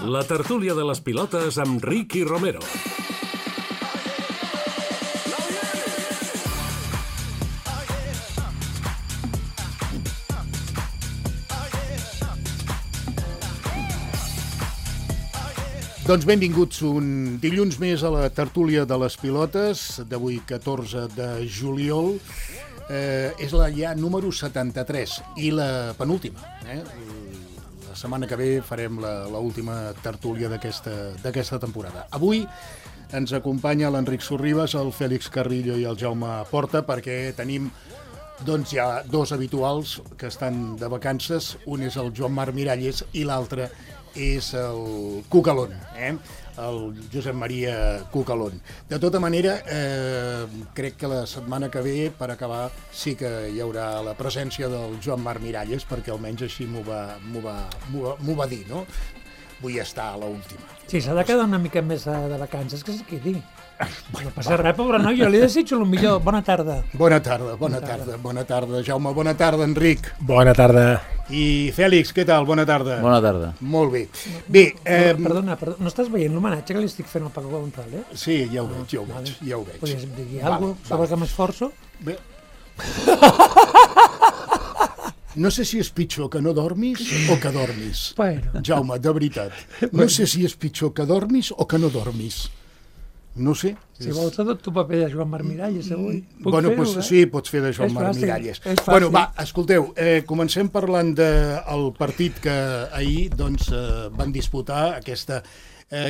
La tertúlia de les pilotes amb Ricky Romero. Doncs benvinguts un dilluns més a la tertúlia de les pilotes, d'avui 14 de juliol. És la ja número 73 i la penúltima. La setmana que ve farem l'última tertúlia d'aquesta temporada. Avui ens acompanya l'Enric Sorribas, el Fèlix Carrillo i el Jaume Porta, perquè tenim doncs ja dos habituals que estan de vacances. Un és el Joan Marc Miralles i l'altre és el Cucalón, el Josep Maria Cucalón. De tota manera, crec que la setmana que ve, per acabar, sí que hi haurà la presència del Joan Marc Miralles, perquè almenys així m'ho va dir, no? Vull estar a l'última. Sí, s'ha de quedar una mica més de vacances, que és el que dic. No passa res, pobre noi, jo li desitjo el millor. Bona tarda. Bona tarda, Jaume. Bona tarda, Enric. Bona tarda. I Fèlix, què tal? Bona tarda. Bona tarda. Molt bé. Bé, perdona, no estàs veient l'homenatge que li estic fent al Paco González? Sí, ja ho veig. Podries dir alguna cosa sobre que m'esforço? Bé. No sé si és pitjor que no dormis o que dormis. Bueno. Jaume, de veritat. No sé si és pitjor que dormis o que no dormis. No sé. Si vols et dono tu paper de Joan Marc Miralles avui. Bueno, doncs sí, pots fer de Joan Marc Miralles. Bueno, va, escolteu, comencem parlant del partit que ahir doncs, van disputar aquesta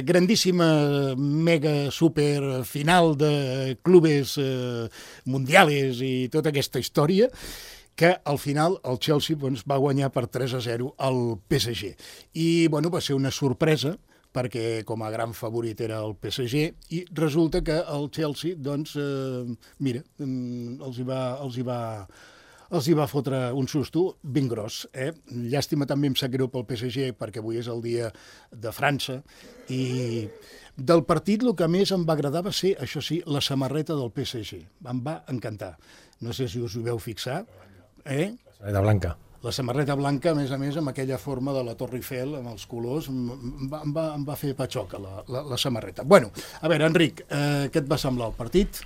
grandíssima mega super final de clubes mundiales i tota aquesta història, que al final el Chelsea doncs, va guanyar per 3-0 al PSG. I bueno, va ser una sorpresa, perquè com a gran favorit era el PSG, i resulta que el Chelsea, doncs, mira, els hi va fotre un susto ben gros. Llàstima també em sap greu pel PSG, perquè avui és el dia de França, i del partit el que més em va agradar va ser, això sí, la samarreta del PSG. Em va encantar. No sé si us ho veu fixar. La samarreta blanca. La samarreta blanca, a més, amb aquella forma de la Torre Eiffel, amb els colors, em va fer patxoca la samarreta. Bueno, a veure, Enric, què et va semblar el partit?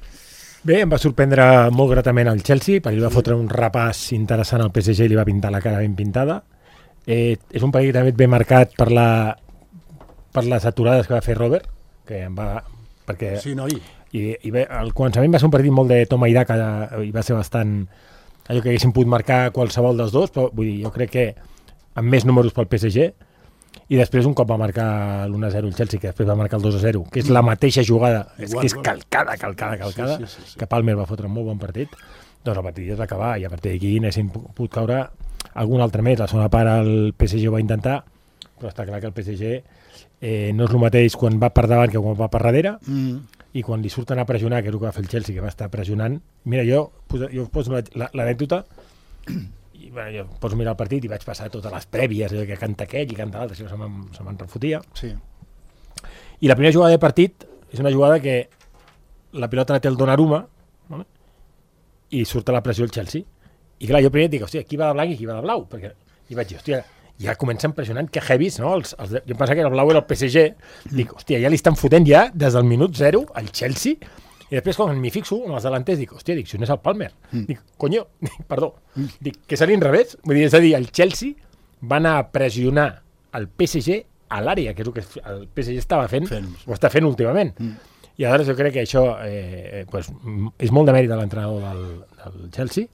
Bé, em va sorprendre molt gratament el Chelsea, perquè li va fotre un repàs interessant al PSG i li va pintar la cara ben pintada. És un partit també ben marcat per les aturades que va fer Robert, que em va... Perquè, sí, noi. I bé, al començament va ser un partit molt de toma i daca, i va ser bastant... allò que haguessin pogut marcar qualsevol dels dos, però vull dir, jo crec que amb més números pel PSG, i després un cop va marcar l'1-0 el Chelsea, que després va marcar el 2-0, que és la mateixa jugada, és que és calcada, sí. Que Palmer va fotre un molt bon partit, doncs el partit ja es va acabar, i a partir d'aquí n'haguessin pogut caure algun altre més. La segona part el PSG ho va intentar, però està clar que el PSG no és el mateix quan va per davant que quan va per darrere, i quan li surten a pressionar, que és el que va fer el Chelsea, que va estar pressionant, mira, jo poso l'anècdota, i bueno, jo poso mirar el partit i vaig passar totes les prèvies, que canta aquell i canta l'altre, se me'n refotia. Sí. I la primera jugada de partit és una jugada que la pilota la té el Donnarumma, ¿vale? I surt a la pressió el Chelsea. I clar, jo primer dic, hòstia, qui va de blanc i qui va de blau? I vaig dir, hòstia, ja comença impressionant, que heavies, no? Jo em pensava que el blau era el PSG, dic, hòstia, ja li estan fotent ja des del minut 0 al Chelsea, i després quan m'hi fixo amb els delanters dic, hòstia, si no és el Palmer, dic, conyo, perdó, dic, que seria al revés, vull dir, és a dir, el Chelsea va anar a pressionar el PSG a l'àrea, que és el que el PSG estava fent, ho està fent últimament, i aleshores jo crec que això pues, és molt de mèrit de l'entrenador del Chelsea,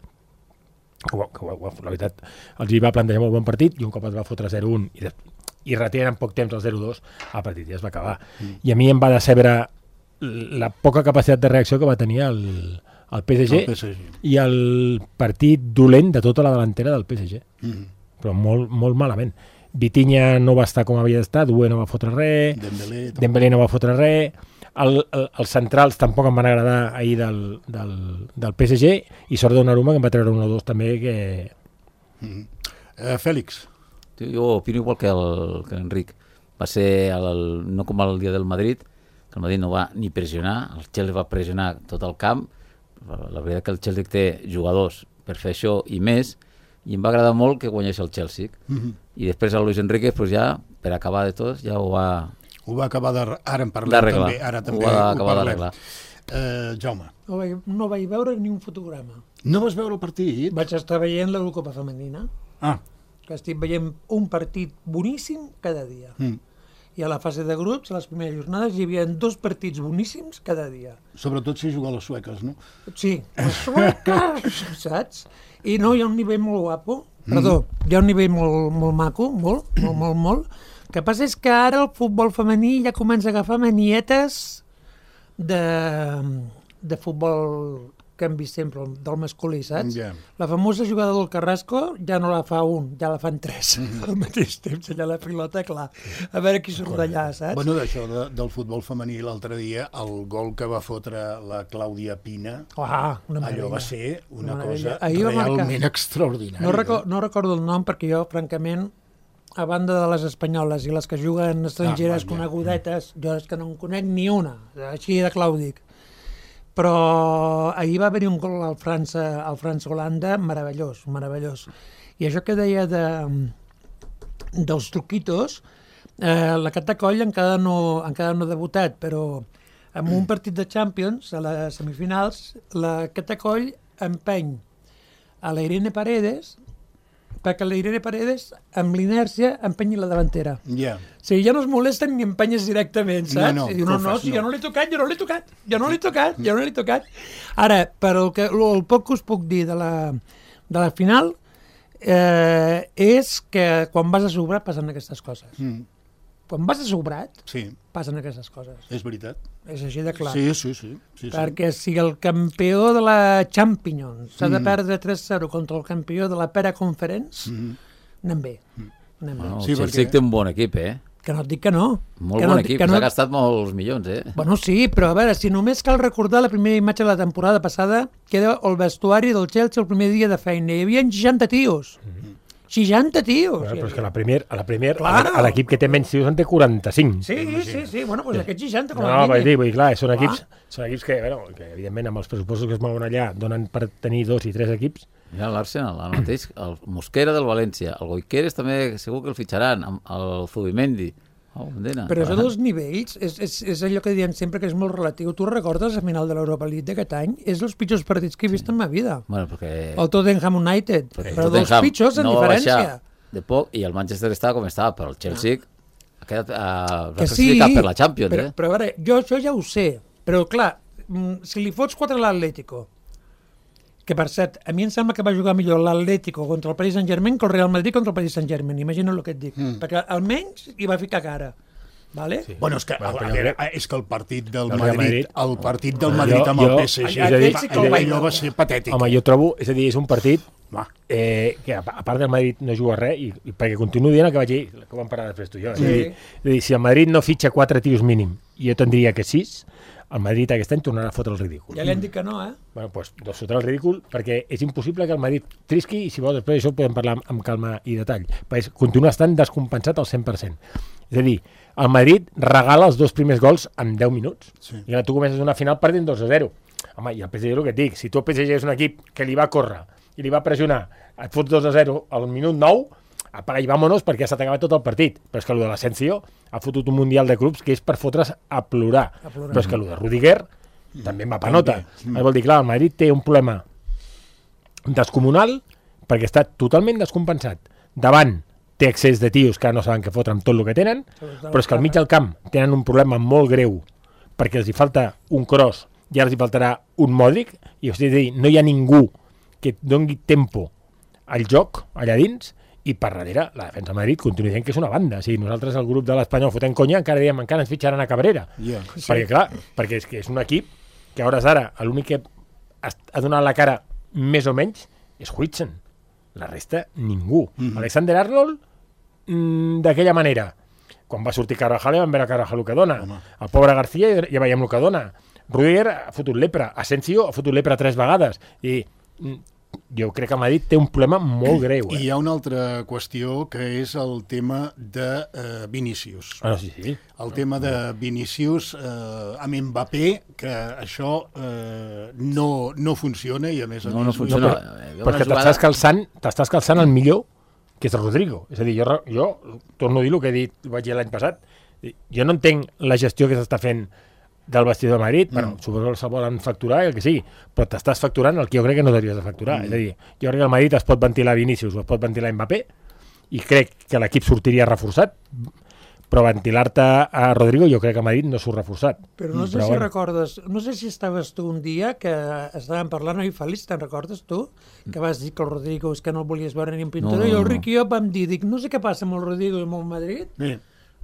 que la veritat els hi va plantejar molt bon partit, i un cop es va fotre 0-1 i retiren en poc temps el 0-2, el partit ja es va acabar. I a mi em va decebre la poca capacitat de reacció que va tenir el PSG i el partit dolent de tota la delantera del PSG, però molt, molt malament. Vitinha no va estar com havia d'estar, Doué no va fotre res, Dembélé no va fotre res, els centrals tampoc em van agradar ahir del PSG, i sort Donnarumma, que em va treure 1-2 també, que... Fèlix. Jo opino igual que l'Enric. Va ser no com el dia del Madrid, que el Madrid no va ni pressionar, el Chelsea va pressionar tot el camp. La veritat que el Chelsea té jugadors per fer això i més, i em va agradar molt que guanyés el Chelsea. I després el Luis Enrique pues, ja per acabar de tots, ja ho va... Ho va acabar ara en parlem també. Ara també ho va acabar d'arreglar. Jaume. No vaig veure ni un fotograma. No vas veure el partit? Vaig estar veient l'Eurocopa femenina. Que estic veient un partit boníssim cada dia. I a la fase de grups, a les primeres jornades, hi havia 2 partits boníssims cada dia. Sobretot si juguen les sueques, no? Sí, les sueques, saps? I no, hi ha un nivell molt guapo, hi ha un nivell molt maco, molt. El que passa és que ara el futbol femení ja comença a agafar manietes de futbol que hem vist sempre, del masculí, saps? La famosa jugada del Carrasco ja no la fa un, ja la fan 3 al mateix temps, allà la pilota, clar, a veure qui surt d'allà, saps? Bueno, d'això del futbol femení l'altre dia, el gol que va fotre la Clàudia Pina, allò va ser una cosa realment extraordinària. No recordo el nom perquè jo, francament, a banda de les espanyoles i les que juguen estrangeres conegudetes, jo és que no en conec ni una, així de clau dic. Però ahir va haver-hi un gol al França-Holanda meravellós. I això que deia dels truquitos, la Catacoll encara no ha debutat, però en un partit de Champions, a les semifinals, la Catacoll empeny a la Irene Paredes perquè la Irene Paredes, amb l'inèrcia, empenyi la davantera. O sigui, ja no es molesten ni empenyes directament, saps? I diu, si jo no l'he tocat. Ara, per el poc que us puc dir de la final, és que quan vas a sobrat passen aquestes coses. Quan vas a sobrat, passen aquestes coses. És veritat. És així de clar. Sí. Perquè si el campió de la Champions s'ha de perdre 3-0 contra el campió de la Pera Conference, anem bé. El Chelsea té un bon equip, Que no et dic que no. Molt bon equip, s'ha gastat molts milions, Bueno, sí, però a veure, si només cal recordar la primera imatge de la temporada passada, que era el vestuari del Chelsea el primer dia de feina. Hi havia 60 tios. 60 tios. Però és que a la Premier, l'equip que té menys tios en té 45. Sí. Bueno, doncs aquests 60 com a mínim. No, vull dir, clar, són equips que evidentment amb els pressupostos que es mouen allà donen per tenir 2 i 3 equips. Mira l'Arsenal, el mateix, el Mosquera del València, el Goiqueres també segur que el fitxaran, el Zubimendi. Però això dels nivells és allò que diem sempre que és molt relatiu. Tu recordes la final de l'Europa League d'aquest any? És dels pitjors partits que he vist en ma vida. El Tottenham United, però dels pitjors en diferència. De poc, i el Manchester estava com estava, però el Chelsea ha quedat classificat per la Champions. Però a veure, jo això ja ho sé, però clar, si li fots 4 a l'Atlético, que per cert, a mi em sembla que va jugar millor l'Atlético contra el Paris Saint-Germain que el Real Madrid contra el Paris Saint-Germain, imagina el que et dic, perquè almenys hi va ficar cara. Vale? Sí. Bueno, és que el partit del Madrid amb el PSG allò va ser patètic. Home, jo trobo, és a dir, és un partit que a part del Madrid no juga res i perquè continuo dient el que vaig dir, que ho vam parar després tu i jo. És a dir, si el Madrid no fitxa 4 tios mínim i jo tindria que 6, el Madrid aquest any tornarà a fotre el ridícul. Ja li han dit que no, Bueno, doncs fotrà el ridícul perquè és impossible que el Madrid trisqui i si vols després d'això podem parlar amb calma i detall. Perquè continua estant descompensat al 100%. És a dir, el Madrid regala els 2 primers gols en 10 minuts. I ara tu comences una final perdent 2-0. Home, i el PSG és el que et dic. Si tu el PSG és un equip que li va córrer i li va pressionar, et fots 2-0 al minut 9, apaga i vámonos perquè ja s'ha acabat tot el partit. Però és que el de l'Asensio ha fotut un mundial de clubs que és per fotre's a plorar. Però és que el de Rudiger també em va panota. Vol dir, clar, el Madrid té un problema descomunal perquè està totalment descompensat. Davant té excés de tios que no saben què fotre amb tot el que tenen, però és que al mig del camp tenen un problema molt greu perquè els hi falta un Kroos i ara els hi faltarà un Modric, i és a dir, no hi ha ningú que doni tempo al joc allà dins, i per darrere la defensa de Madrid continua dient que és una banda. O sigui, nosaltres el grup de l'Espanyol fotent conya encara diem encara ens fitxaran a Cabrera. Perquè clar, perquè és un equip que a hores d'ara l'únic que ha donat la cara més o menys és Huijsen. La resta, ningú. Alexander Arnold, d'aquella manera. Quan va sortir Carvajal, vam veure Carvajal el que dona. El pobre García ja veiem el que dona. Rudiger ha fotut lepra. Asensio ha fotut lepra 3 vegades. I jo crec que Madrid té un problema molt greu. I hi ha una altra qüestió que és el tema de Vinícius. Sí. El tema de Vinícius amb Mbappé, que això no funciona i a més no funciona. Perquè t'estàs calçant el millor que és el Rodrigo. És a dir, jo torno a dir el que he dit, vaig dir l'any passat, jo no entenc la gestió que s'està fent del vestidor de Madrid, bueno, suposo que se volen facturar el que sigui, però t'estàs facturant el que jo crec que no devries de facturar. És a dir, jo crec que el Madrid es pot ventilar Vinícius o es pot ventilar Mbappé, i crec que l'equip sortiria reforçat, però ventilar-te a Rodrigo jo crec que a Madrid no surt reforçat. Però no sé si recordes, no sé si estaves tu un dia que estàvem parlant, oi Fèlix, te'n recordes tu? Que vas dir que el Rodrigo és que no el volies veure ni en pintura, i el Riqui i jo vam dir, no sé què passa amb el Rodrigo i amb el Madrid,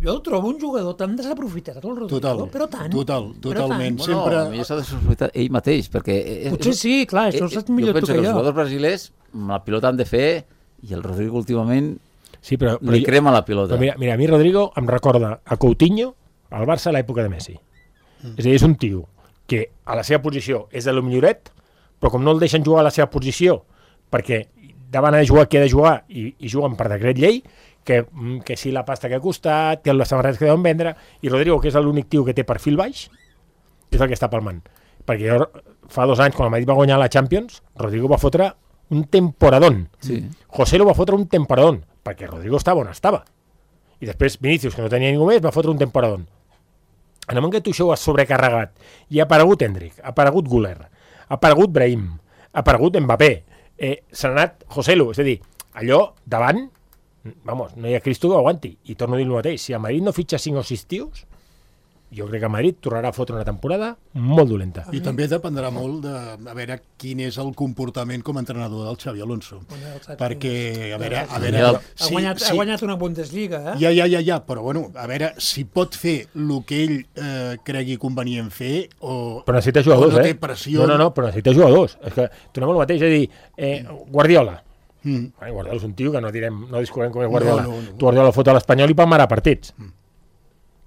jo el trobo un jugador tan desaprofitat, el Rodrigo, però tant. Totalment. Sempre... Bueno, s'ha desaprofitat ell mateix, perquè... Potser sí, clar, això ho saps millor tu que jo. Jo penso que els jugadors brasilers amb la pilota han de fer, i el Rodrigo últimament sí, però li crema la pilota. Mira, a mi Rodrigo em recorda a Coutinho al Barça a l'època de Messi. És a dir, és un tio que a la seva posició és de lo milloret, però com no el deixen jugar a la seva posició perquè davant ha de jugar qui ha de jugar i juguen per decret llei, que si la pasta que ha costat, que les samarretes que deuen vendre, i Rodrigo, que és l'únic tio que té perfil baix, és el que està palmant. Perquè jo, fa 2 anys, quan el Madrid va guanyar la Champions, Rodrigo va fotre un temporadón. Sí. José lo va fotre un temporadón, perquè Rodrigo estava on estava. I després Vinícius, que no tenia ningú més, va fotre un temporadón. En el moment que tu això ho has sobrecarregat, i ha aparegut Endrick, ha aparegut Güler, ha aparegut Brahim, ha aparegut Mbappé, s'ha anat Joselu, és a dir, allò davant, vamos, no hi ha Cristo que ho aguanti. I torno a dir el mateix, si a Madrid no fitxa 5 o 6 tios, jo crec que Madrid tornarà a fotre una temporada molt dolenta. I també dependrà molt de a veure quin és el comportament com a entrenador del Xavi Alonso. Perquè, a veure... Ha guanyat una Bundesliga, eh? Ja, però bueno, a veure si pot fer el que ell cregui convenient fer o... Però necessita jugadors, no té pressió... No, però necessita jugadors. És que tornem al mateix, és a dir, Guardiola. Guardiola és un tio que no discutirem com és Guardiola. Tu Guardiola fot a l'Espanyol i palmarà partits.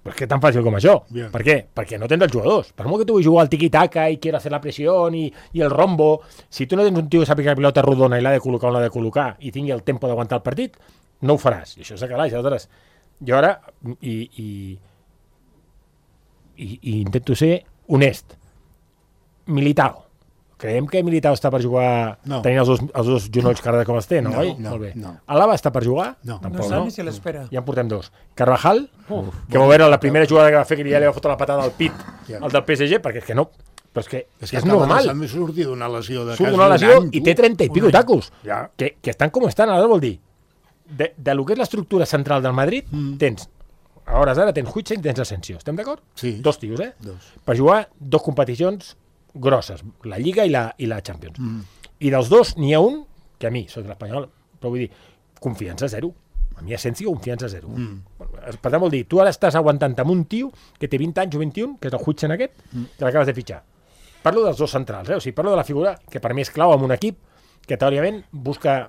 Però és que tan fàcil com això. Bien. Per què? Perquè no tens els jugadors. Per molt que tu vull jugar al tiki-taka i quiero hacer la presión i el rombo, si tu no tens un tio que sàpiga que la pilota rodona i l'ha de col·locar on l'ha de col·locar i tingui el tempo d'aguantar el partit, no ho faràs. I això s'acabarà. Aleshores, jo ara i intento ser honest. Militao. Creiem que Militao està per jugar tenint els dos genolls cara com els té, no? Molt bé. Alaba està per jugar? No sap ni si l'espera. Ja en portem 2. Carvajal, que va veure la primera jugada que va fer, que ja li va fotre la patada al pit al del PSG, perquè és que no... Però és que és normal. També surt d'una lesió de surt d'una lesió i té 30 i pico tacos. Que estan com estan. Ara vol dir, de lo que és l'estructura central del Madrid, tens, a hores d'ara tens Huijsen i tens Asensio. Estem d'acord? Sí. 2 tios, per jugar 2 competicions grosses, la Lliga i la Champions. I dels 2 n'hi ha un que a mi, soc l'Espanyol, però vull dir, confiança 0. A mi Asensio, confiança 0. Per tant, vol dir, tu ara estàs aguantant amb un tio que té 20 anys o 21, que és el Huijsen aquest, que l'acabes de fitxar. Parlo dels 2 centrals, o sigui, parlo de la figura que per mi és clau en un equip que teòricament busca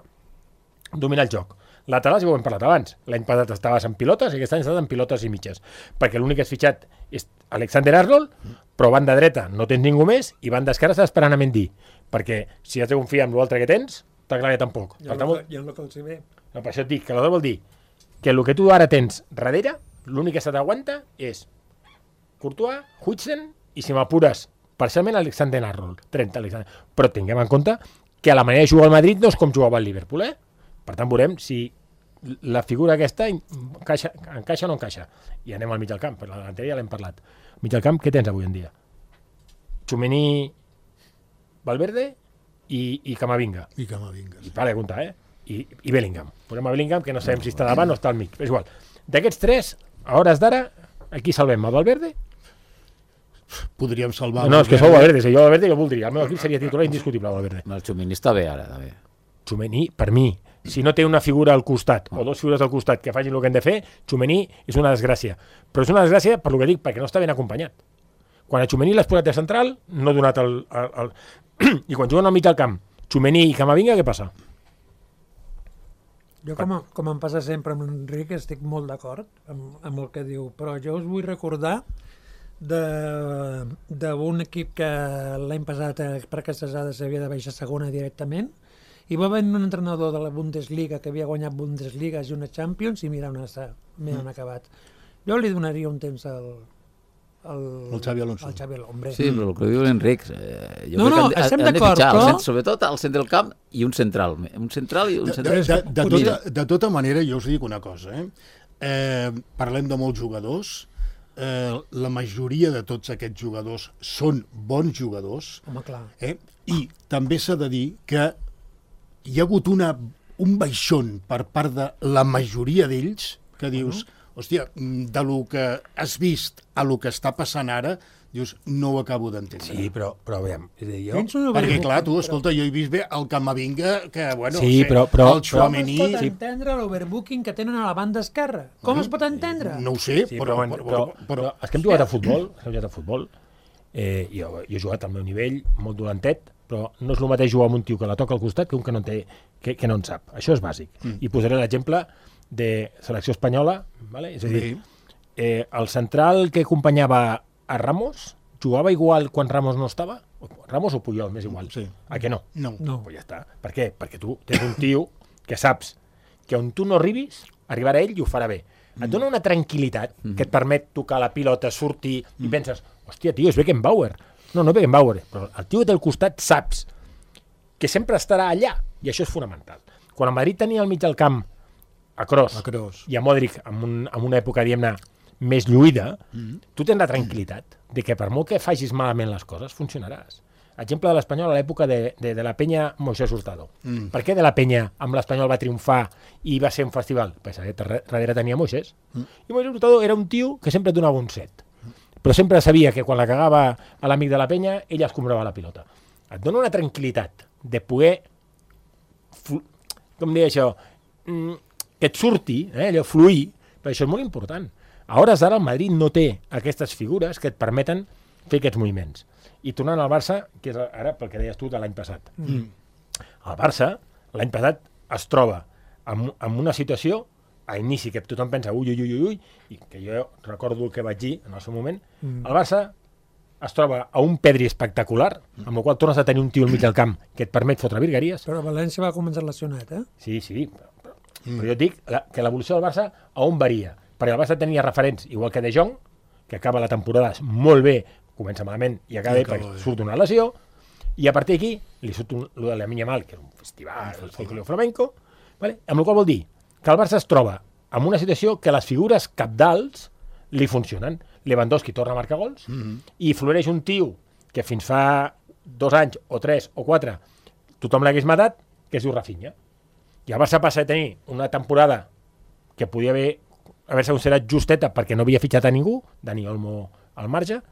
dominar el joc. Laterals, ja ho hem parlat abans. L'any passat estaves en pilotes i aquest any estàs en pilotes i mitges. Perquè l'únic que has fitxat és Alexander Arnold, però banda dreta no tens ningú més i banda esquerra estàs esperant a Mendy. Perquè si has de confiar en l'altre que tens, t'aclararé tampoc. Ja no que els hi ve. No, per això et dic que l'altre vol dir que el que tu ara tens darrere, l'únic que se t'aguanta és Courtois, Huijsen i si m'apures parcialment Alexander Arnold. 30 Alexander. Però tinguem en compte que la manera de jugar al Madrid no és com jugava el Liverpool, eh? Per tant, veurem si la figura aquesta encaixa o no encaixa. I anem al mig del camp, per la delantera ja l'hem parlat. Mig del camp, què tens avui en dia? Tchouaméni, Valverde i Camavinga. I Camavinga. I vale, compte, I Bellingham. Posem a Bellingham, que no sabem si està davant o està al mig. És igual. D'aquests 3, a hores d'ara, aquí salvem el Valverde? Podríem salvar... No, és que sou Valverde, si jo Valverde jo voldria. El meu equip seria titular indiscutible, Valverde. El Tchouaméni està bé ara, també. Tchouaméni, per mi, si no té una figura al costat o 2 figures al costat que facin el que han de fer, Tchouaméni és una desgràcia. Però és una desgràcia per el que dic, perquè no està ben acompanyat. Quan a Tchouaméni l'has posat de central, no ha donat el... I quan juguen al mig del camp, Tchouaméni i Camavinga, què passa? Jo, com em passa sempre amb l'Enric, estic molt d'acord amb el que diu, però jo us vull recordar d'un equip que l'any passat per aquestes dades havia de baixar segona directament, i va venir un entrenador de la Bundesliga que havia guanyat Bundesliga i una Champions i mira on està, mira on ha acabat. Jo li donaria un temps El Xavi Alonso. El Xavi Alonso, hombre. Sí, però el que diu l'Enric, jo No, crec que estem han de d'acord, fitxar, però- sobretot al centre del camp i un central. Un central i un central. De tota manera, jo us dic una cosa, parlem de molts jugadors, la majoria de tots aquests jugadors són bons jugadors, Home, clar. i també s'ha de dir que hi ha hagut un baixón per part de la majoria d'ells que dius, hòstia, de lo que has vist a lo que està passant ara, dius, no ho acabo d'entendre. Sí, però aviam, és a dir, jo... Perquè, clar, tu, escolta, jo he vist bé el Camavinga, que, bueno, Sí, però- el Com es Tchouaméni... pot entendre l'overbooking que tenen a la banda esquerra? Com es pot entendre? No ho sé, Sí, però però és que hem jugat a futbol, jo he jugat al meu nivell, molt dolentet, però no és el mateix jugar amb un tio que la toca al costat que un que no, que no en sap. Això és bàsic. I posaré l'exemple de selecció espanyola, vale? És a dir, el central que acompanyava a Ramos jugava igual quan Ramos no estava? Ramos o Puyol, m'és igual. Sí. A què no? No. Pues ja està. Per què? Perquè tu tens un tio que saps que on tu no arribis, arribarà ell i ho farà bé. Et dona una tranquil·litat que et permet tocar la pilota, sortir, i penses, hòstia, tio, és Beckenbauer. No és Beckenbauer, però el tio del costat saps que sempre estarà allà, i això és fonamental. Quan el Madrid tenia al mig del camp a Kroos i a Modric en una època, diguem-ne, més lluïda, tu tens la tranquil·litat de que per molt que facis malament les coses, funcionaràs. Exemple de l'Espanyol a l'època de la penya Moisés Hurtado. Per què de la penya amb l'Espanyol va triomfar i va ser un festival? Perquè darrere tenia Moisés. I Moisés Hurtado era un tio que sempre donava un set. Però sempre sabia que quan la cagava a l'amic de la penya, ell escombrava la pilota. Et dona una tranquil·litat de poder, com dir això, que et surti, allò, fluir, però això és molt important. A hores d'ara el Madrid no té aquestes figures que et permeten fer aquests moviments. I tornant al Barça, que és ara pel que deies tu de l'any passat. El Barça, l'any passat, es troba en una situació, a inici, que tothom pensa ui, i que jo recordo el que vaig dir en el seu moment, el Barça es troba a un Pedri espectacular, amb el qual tornes a tenir un tio al mig del camp que et permet fotre virgueries. Però València va començar lesionat, Sí, però jo et dic que l'evolució del Barça a on varia? Perquè el Barça tenia referents, igual que De Jong, que acaba la temporada molt bé, comença malament i acaba bé perquè surt una lesió, i a partir d'aquí li surt lo de la Lamine Yamal, que era un festival, el folclore flamenco, vale? Amb la qual vol dir que el Barça es troba en una situació que les figures capdals li funcionen. Lewandowski torna a marcar gols i floreix un tio que fins fa 2 anys o 3 o 4 tothom l'hagués matat, que es diu Rafinha. I el Barça passa a tenir una temporada que podia haver-se considerat justeta perquè no havia fitxat a ningú, Dani Olmo al marge,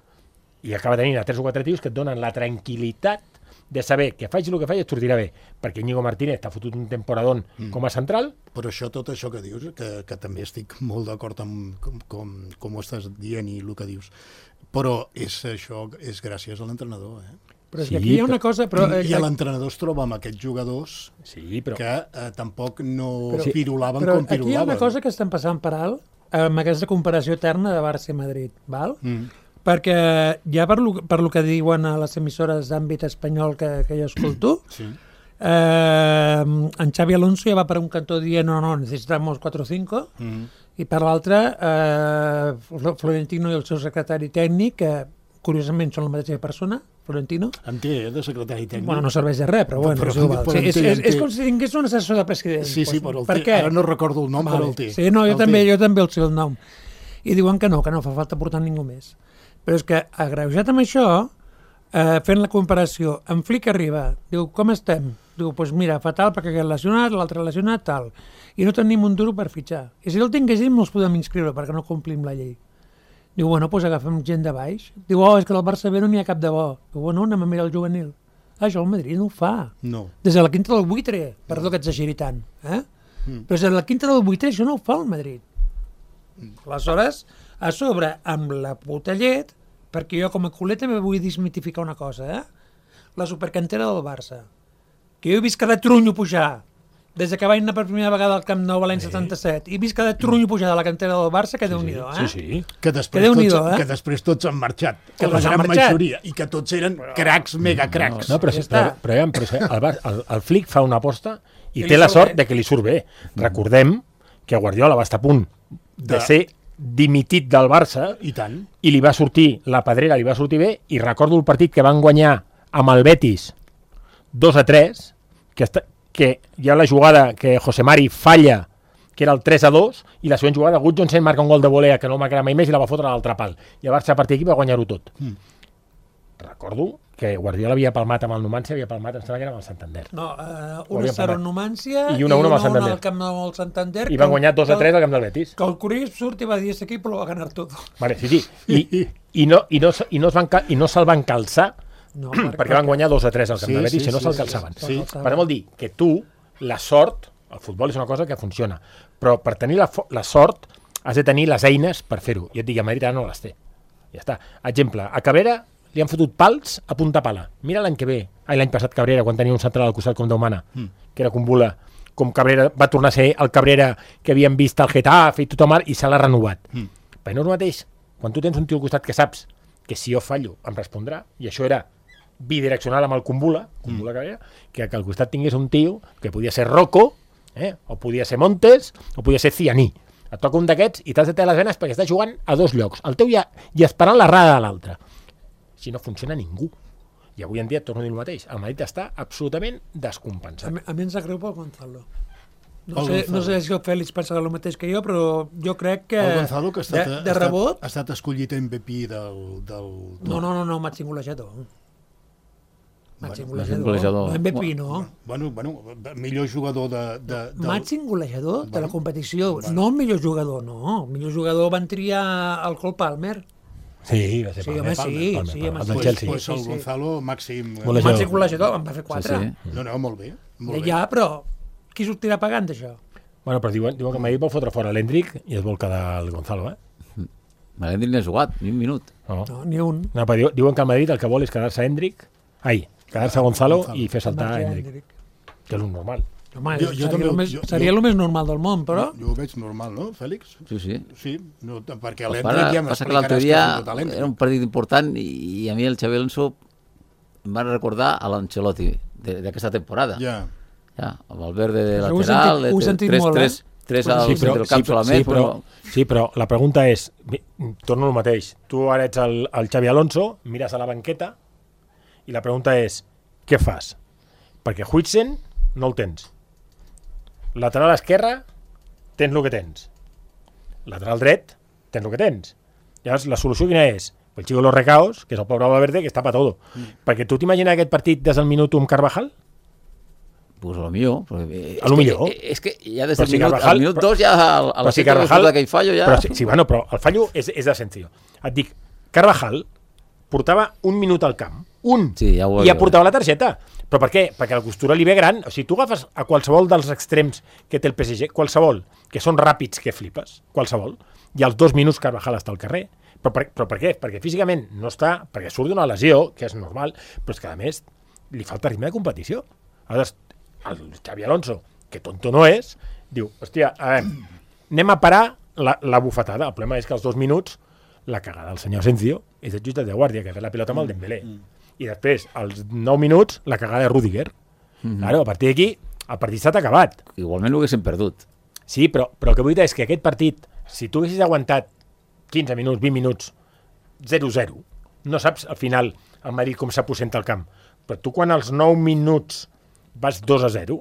i acaba tenint a 3 o 4 tios que et donen la tranquil·litat de saber que faig el que faig et sortirà bé, perquè Íñigo Martínez t'ha fotut un temporadón com a central. Però tot això que dius, que també estic molt d'acord amb com ho estàs dient i el que dius, però això és gràcies a l'entrenador, Però és que aquí hi ha una cosa... I l'entrenador es troba amb aquests jugadors que tampoc no pirulaven com pirulaven. Però aquí hi ha una cosa que estem passant per alt, amb aquesta comparació eterna de Barça i Madrid, val? Perquè ja per lo que diuen a les emissores d'àmbit espanyol que jo escolto, en Xavi Alonso ja va per un cantó dient no, necesitamos 4 o 5, i per l'altre Florentino i el seu secretari tècnic, que curiosament són la mateixa persona, Florentino. En té, de secretari tècnic. Bueno, no serveix de res, però bueno, és com si tingués un assessor de president. Sí, però el té. Ara no recordo el nom, però el té. Sí, no, jo també el sé el nom. I diuen que no fa falta portar ningú més. Però és que, agreujat amb això, fent la comparació, en Flick arriba, diu, com estem? Diu, doncs mira, fatal perquè aquest lesionat, l'altre lesionat, tal. I no tenim un duro per fitxar. I si el tinguéssim no els podem inscriure perquè no complim la llei. Diu, bueno, doncs agafem gent de baix. Diu, és que al Barça B no n'hi ha cap de bo. Diu, bueno, anem a mirar el juvenil. Això el Madrid no ho fa. No. Des de la quinta del buitre, perdó que exageri tant. Però des de la quinta del buitre això no ho fa el Madrid. Aleshores, a sobre, amb la puta llet, perquè jo com a culer també vull desmitificar una cosa, la supercantera del Barça, que jo he vist cada trunyo pujar, des que vaig anar per primera vegada al Camp Nou l'any 77, he vist cada trunyo pujar de la cantera del Barça, que Déu-n'hi-do, Sí. Que després tots han marxat, que la gran majoria, i que tots eren cracs, megacracs. No, però el Flick fa una aposta i té la sort de que li surt bé. Recordem que Guardiola va estar a punt de ser dimitit del Barça, I tant. i li va sortir, la pedrera li va sortir bé, i recordo el partit que van guanyar amb el Betis 2-3, que hi ha la jugada que José Mari falla, que era el 3-2, i la següent jugada Gudjonsen marca un gol de volea que no marcarà mai més i la va fotre a l'altre pal. I el Barça a partir d'aquí va guanyar-ho tot. Recordo que Guardiola havia palmat amb el Numancia, havia palmat, em sembla que era amb el Santander. No, 1-0 en Numancia i 1-1 amb el Santander. al camp del Santander. I van guanyar 2-3 al camp del Betis. Que el Curiós surt i va dir, este equip lo va ganar tot. Vale, sí. I no se'l van calçar perquè van guanyar 2-3 al camp del Betis, si no se'l calçaven. Per tant, vol dir que tu, la sort, el futbol és una cosa que funciona, però per tenir la sort has de tenir les eines per fer-ho. I et dic, a Madrid ara no les té. Ja està. Exemple, a Cabrera li han fotut pals a punta pala. Mira l'any que ve, l'any passat Cabrera, quan tenia un central al costat com Déu mana, que era Kumbula, com Cabrera va tornar a ser el Cabrera que havien vist al Getafe i tothom, i se l'ha renovat. Però no és el mateix, quan tu tens un tio al costat que saps que si jo fallo em respondrà, i això era bidireccional amb el Kumbula Cabrera, que al costat tingués un tio que podia ser Rocco, o podia ser Montes, o podia ser Cianí. Et toca un d'aquests i t'has de tenir les venes perquè estàs jugant a dos llocs, el teu i esperant l'errada de l'altre. Si no funciona ningú. I avui en dia, torno a dir el mateix, el Madrid està absolutament descompensat. A mi em sap greu pel Gonzalo. No sé si el Fèlix pensa el mateix que jo, però jo crec que... El Gonzalo, que de rebot... ha estat escollit MVP del... No, Màxim golejador. Màxim golejador. No, MVP no. Bueno, millor jugador de... Màxim golejador de la competició. No el millor jugador, no. El millor jugador van triar el Cole Palmer. Sí, va ser Palmer. Sí, el del Chelsea. Pues el Gonzalo, màxim golejador, en va fer 4. Sí. No, molt bé. Ja, però qui sortirà pagant d'això? Bueno, però diuen que Madrid vol fotre fora l'Hendrick i es vol quedar el Gonzalo, L'Hendrick no ha jugat, ni un minut. No, ni un. No, però diuen que el Madrid el que vol és quedar-se Hendrick, quedar-se Gonzalo i fer saltar Hendrick. Que és un normal. Home, seria el més normal del món, però... Jo ho veig normal, no, Fèlix? Sí. Sí, no, perquè l'Hendrick ja m'explicaràs que l'altre dia era un partit important i a mi el Xabi Alonso em va recordar a l'Ancelotti d'aquesta temporada. Ja, amb el verde de lateral, ho he sentit molt, tres al centre del camp solament. Sí, però la pregunta és, torno al mateix, tu ara ets el Xabi Alonso, mires a la banqueta i la pregunta és, què fas? Perquè Huijsen no el tens. Lateral esquerre, tens el que tens. Lateral dret, tens el que tens. Llavors, la solució quina és? El Chico de los Recaos, que és el pobre Valverde, que està pa todo. Perquè tu t'imagines aquest partit des del minut 1 amb Carvajal? Pues a lo millor. A lo millor. És que ja des del minut 2 ja a la secta d'aquell fallo ja... Però el fallo és de senzill. Et dic, Carvajal portava un minut al camp. Sí, ja i ja portava la targeta. Però per què? Perquè la costura li ve gran. O sigui, tu agafes a qualsevol dels extrems que té el PSG, qualsevol, que són ràpids que flipes, qualsevol, i als 2 minuts Carvajal està al carrer. Però per què? Perquè físicament no està, perquè surt d'una lesió, que és normal, però és que a més li falta ritme de competició. Aleshores, el Xabi Alonso, que tonto no és, diu, hòstia, anem a parar la bufetada. El problema és que als 2 minuts la cagada del senyor Asensio és el jutge de guàrdia, que ha fet la pilota amb el Dembélé. I després, als 9 minuts, la cagada de Rüdiger. Claro, a partir d'aquí, el partit s'ha acabat. Igualment ho haguéssim perdut. Sí, però el que vull dir és que aquest partit, si tu haguessis aguantat 15 minuts, 20 minuts, 0-0, no saps al final el Madrid com s'aposenta al camp. Però tu quan als 9 minuts vas 2-0,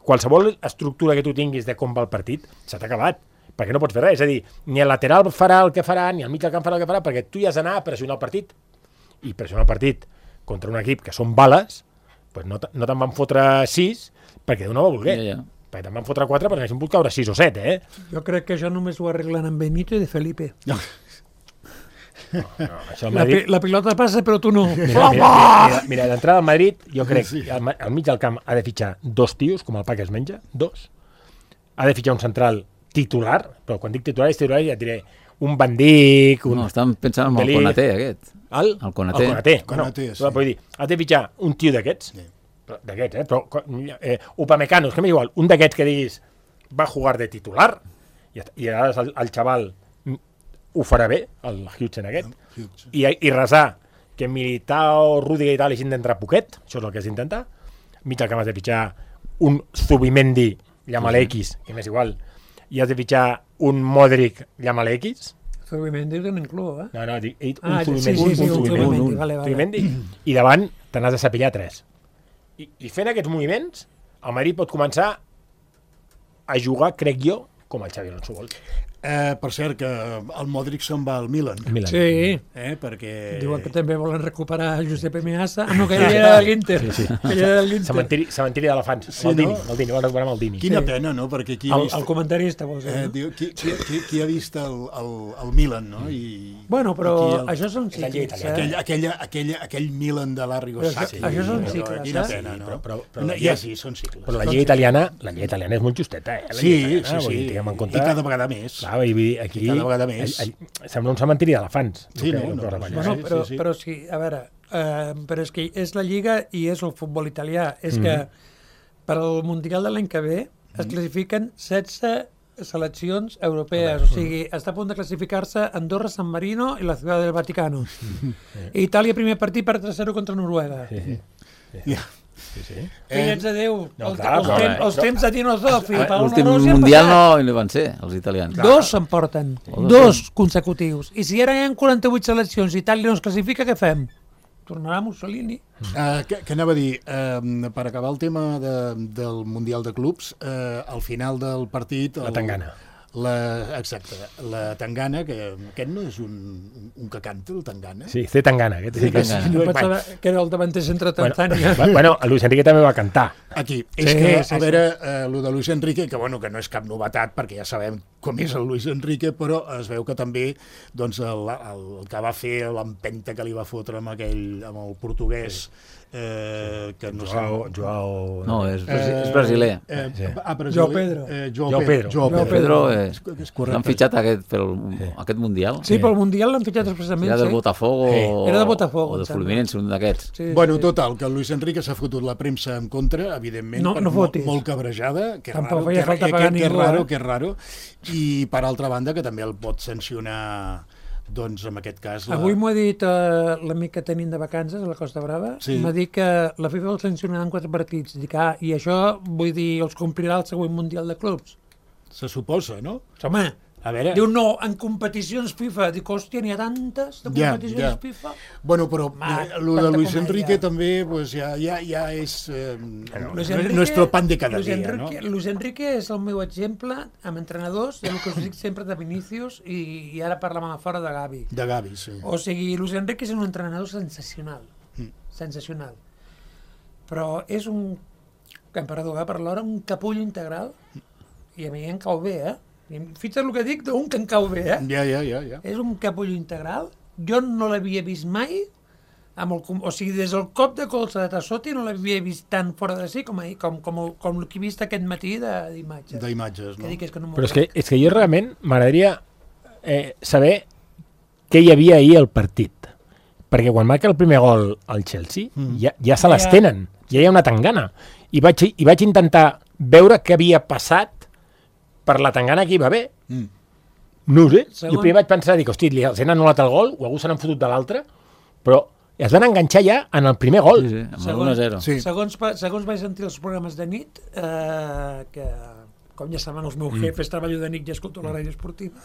qualsevol estructura que tu tinguis de com va el partit, s'ha acabat. Perquè no pots fer res. És a dir, ni el lateral farà el que farà, ni el mig del camp farà el que farà, perquè tu ja has d'anar a pressionar el partit. I pressionar el partit contra un equip que són bales, pues no te'n van fotre 6 perquè no va voler. Perquè te'n van fotre 4 perquè n'haguessin pogut caure 6 o 7, Jo crec que això només ho arreglen amb Benito i de Felipe. No, això Madrid... La pilota passa, però tu no. Mira, d'entrada al Madrid, jo crec que al mig del camp ha de fitxar 2 tios, com el pa que es menja, 2. Ha de fitxar un central titular, però quan dic titular ja et diré un Van Dijk... No, estan pensant en el Konaté, aquest. El Konaté. Konaté, sí. Vull dir, has de fitxar un tio d'aquests, d'aquests, però Upamecano, és que m'és igual, un d'aquests que diguis va jugar de titular, i ara el xaval ho farà bé, el Huijsen aquest, i resar que Militao, Rüdiger i tal hagin d'entrar poquet, això és el que has d'intentar, mig al camp has de fitxar un Zubimendi, llama-le X, que m'és igual, i has de fitxar un Modric llámale X. Zubimendi és un club, No, he dit un Zubimendi. Zubimendi. Vale. Zubimendi. I davant te n'has de sapillar 3. I fent aquests moviments, el Madrid pot començar a jugar, crec jo, com el Xavi Alonso vol. Per cert, que el Modric se'n va al Milan. Sí. Perquè... Diuen que també volen recuperar Giuseppe Meazza. No, que ell era de l'Inter. Cementiri d'elefants. Sí, Maldini, no? Maldini, volen recuperar Maldini. Quina pena, no? Perquè qui ha vist... El comentarista, vols dir, no? Diu, qui ha vist el Milan, no? Bueno, però això són cicles. Aquell Milan de l'Arrigo Sacchi. Això són cicles, Quina pena, no? Ja sí, són cicles. Però la llei italiana és molt justeta, Sí. I cada vegada més. Aquí cada vegada més. Sembla un cementiri d'elefants. Sí, no? Però sí, a veure, però és que és la Lliga i és el futbol italià. És que per al Mundial de l'any que ve es classifiquen 16 seleccions europees. O sigui, està a punt de classificar-se Andorra, San Marino i la Ciutat del Vaticano. Itàlia, primer partit per 3-0 contra Noruega. Fillets de Déu, els temps de Tino Zoffi. L'últim Mundial no hi van ser, els italians. 2 s'emporten, 2 consecutius. I si ara hi ha 48 seleccions i Itàlia no es classifica, què fem? Tornarà Mussolini. Què anava a dir? Per acabar el tema del Mundial de Clubs, al final del partit... La tangana. Exacte, la tangana, que aquest no és un que canta, el tangana? Sí, té tangana. No pensava que era el davanter centre Tanzània. Bueno, Luis Enrique també va cantar. Aquí. És que, a veure, el de Luis Enrique, que no és cap novetat, perquè ja sabem com és el Luis Enrique, però es veu que també doncs, el que va fer, l'empenta que li va fotre amb el portuguès, que no sé... Joao... No, és brasiler. Joao Pedro. Joao Pedro l'han fitxat aquest Mundial. Sí, pel Mundial l'han fitxat expressament. Era del Botafogo o de Fluminense, un d'aquests. Bueno, total, que el Luis Enrique s'ha fotut la premsa en contra, evidentment, molt cabrejada, que és raro, i per altra banda que també el pot sancionar, doncs en aquest cas... Avui m'ho ha dit l'amic que tenim de vacances a la Costa Brava, m'ha dit que la FIFA el sancionarà en 4 partits. Dic, i això, vull dir, els complirà el següent Mundial de Clubs. Se suposa, no? Home, diu no, en competicions FIFA. Dic, hòstia, n'hi ha tantes de competicions FIFA. Bueno, però el de Luis Enrique també ja és nuestro pan de cada dia, no? Luis Enrique és el meu exemple amb entrenadors, i el que us dic sempre de Vinícius, i ara parlàvem a fora de Gavi. De Gavi, sí. O sigui, Luis Enrique és un entrenador sensacional. Sensacional. Però és un, perdó, per l'hora, un capullo integral, i a mi em cau bé, Fixa't el que dic d'un que em cau bé, Ja. És un capullo integral. Jo no l'havia vist mai, o sigui, des del cop de colze de Tassotti no l'havia vist tan fora de si com el que he vist aquest matí d'imatges. D'imatges, no? Però és que jo realment m'agradaria saber què hi havia ahir al partit. Perquè quan marca el primer gol al Chelsea, ja se les tenen, ja hi ha una tangana. I vaig intentar veure què havia passat per la tangana que hi va haver. No ho sé. Jo primer vaig pensar, hosti, els han anul·lat el gol, o algú se n'han fotut de l'altre, però es van enganxar ja en el primer gol. Sí, amb el 1-0. Segons vaig sentir els programes de nit, que com ja saben els meus jefes, treballo de nit i escolto la ràdio esportiva.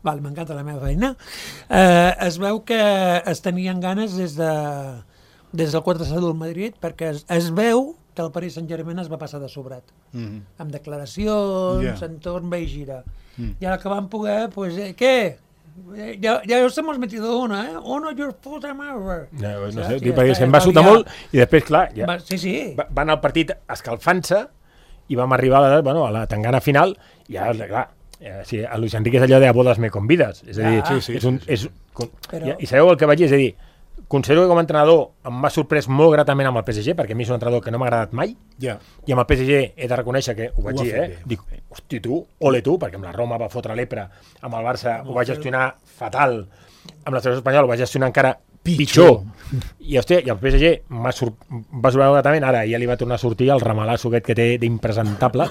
M'encanta la meva feina. Es veu que es tenien ganes des del 4-0 del Madrid, perquè es veu que el Paris Saint-Germain es va passar de sobrat. Amb declaracions, entorn, ve i gira. I ara que van poder, pues, ¿qué? Ya os hemos metido una, Uno, your puta madre. No sé, perquè se'm va sotar molt, i després, clar, van al partit escalfant-se, i vam arribar a la tangana final, i ara, clar, a Luis Enrique és allò de a bodes me convides. És a dir, i sabeu el que vaig dir? És a dir, considero que com a entrenador em m'ha sorprès molt gratament amb el PSG, perquè a mi és un entrenador que no m'ha agradat mai, i amb el PSG he de reconèixer que ho vaig dir, dic, hosti tu, ole tu, perquè amb la Roma va fotre l'Epra, amb el Barça ho va gestionar fatal, amb la selecció espanyola ho va gestionar encara pitjor. I el PSG va sorprendre gratament, ara ja li va tornar a sortir el ramalasso aquest que té d'impresentable.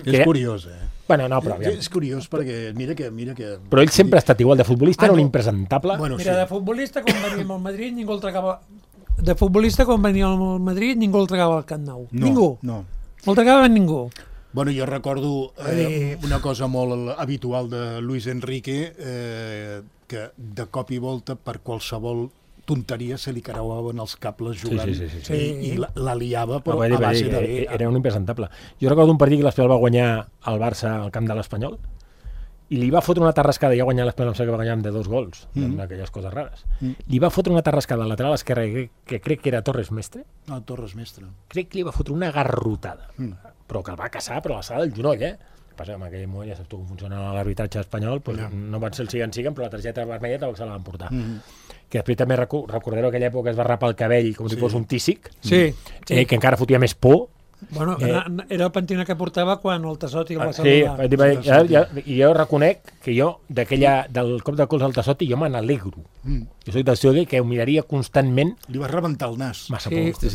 És curiós, Bueno, no, però és curiós perquè mira que... Però ell sempre ha estat igual, de futbolista era un impresentable. Mira, de futbolista quan venia al Madrid ningú el tragava... De futbolista quan venia al Madrid ningú el tragava al Camp Nou. Ningú. No el tragava ningú. Bueno, jo recordo una cosa molt habitual de Luis Enrique, que de cop i volta per qualsevol tonteria se li creuaven els cables jugant i la liava, però a base de... Era un impresentable. Jo recordo un partit que l'Espanyol va guanyar al Barça al camp de l'Espanyol i li va fotre una tarrascada, ja guanyar l'Espanyol, que va guanyar de 2 gols, d'aquelles coses rares. Li va fotre una tarrascada al lateral esquerre, que crec que era Torres Mestre. No, Torres Mestre. Crec que li va fotre una garrotada, però que el va caçar per l'alçada del genoll, Passa que en aquell moment, ja saps tu com funciona l'arbitratge espanyol, no van ser el siguen, però la targeta vermella tampoc se la van portar. Que després també recordareu que aquella època es va rapar el cabell com si fos un tísic, que encara fotia més por. Bueno, era el pentinat que portava quan el Tassotti el va saludar. Sí, i jo reconec que jo, del cop de cols al Tassotti, jo me n'alegro. Jo soc del seu que ho miraria constantment. Li va rebentar el nas. Massa por.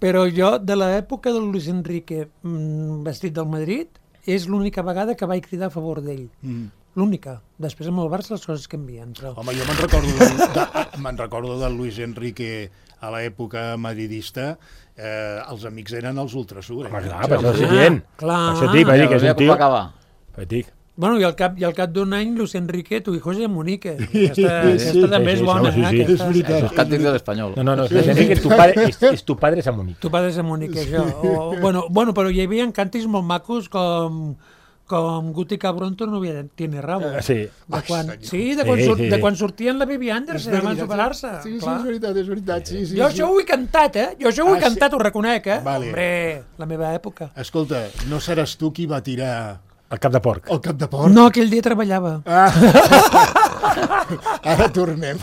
Però jo, de l'època del Luis Enrique vestit del Madrid, és l'única vegada que vaig cridar a favor d'ell. L'única. Després amb el Barça les coses canvien. Però... Home, jo me'n recordo del Luis Enrique a l'època madridista, els amics eren els ultrasur. Home, clar, per això és gent. Per això et dic, que és un tio... Bueno, i al cap d'un any, Luis Enrique, tu hijo es de Munique. Aquesta també és bona. És veritat. Els càntics de l'Espanyol. No, Luis Enrique, tu padre és a Munique. Tu padre és a Munique, això. Bueno, però hi havia càntics molt macos com Guti Cabronto no tiene rabo. Sí. De quan sortien la Bibi Anderson abans d'operar-se. Sí, és veritat. Jo això ho he cantat, Jo això ho he cantat, ho reconec, Hombre, la meva època. Escolta, no seràs tu qui va tirar... El cap de porc. El cap de porc? No, aquell dia treballava. Ara tornem.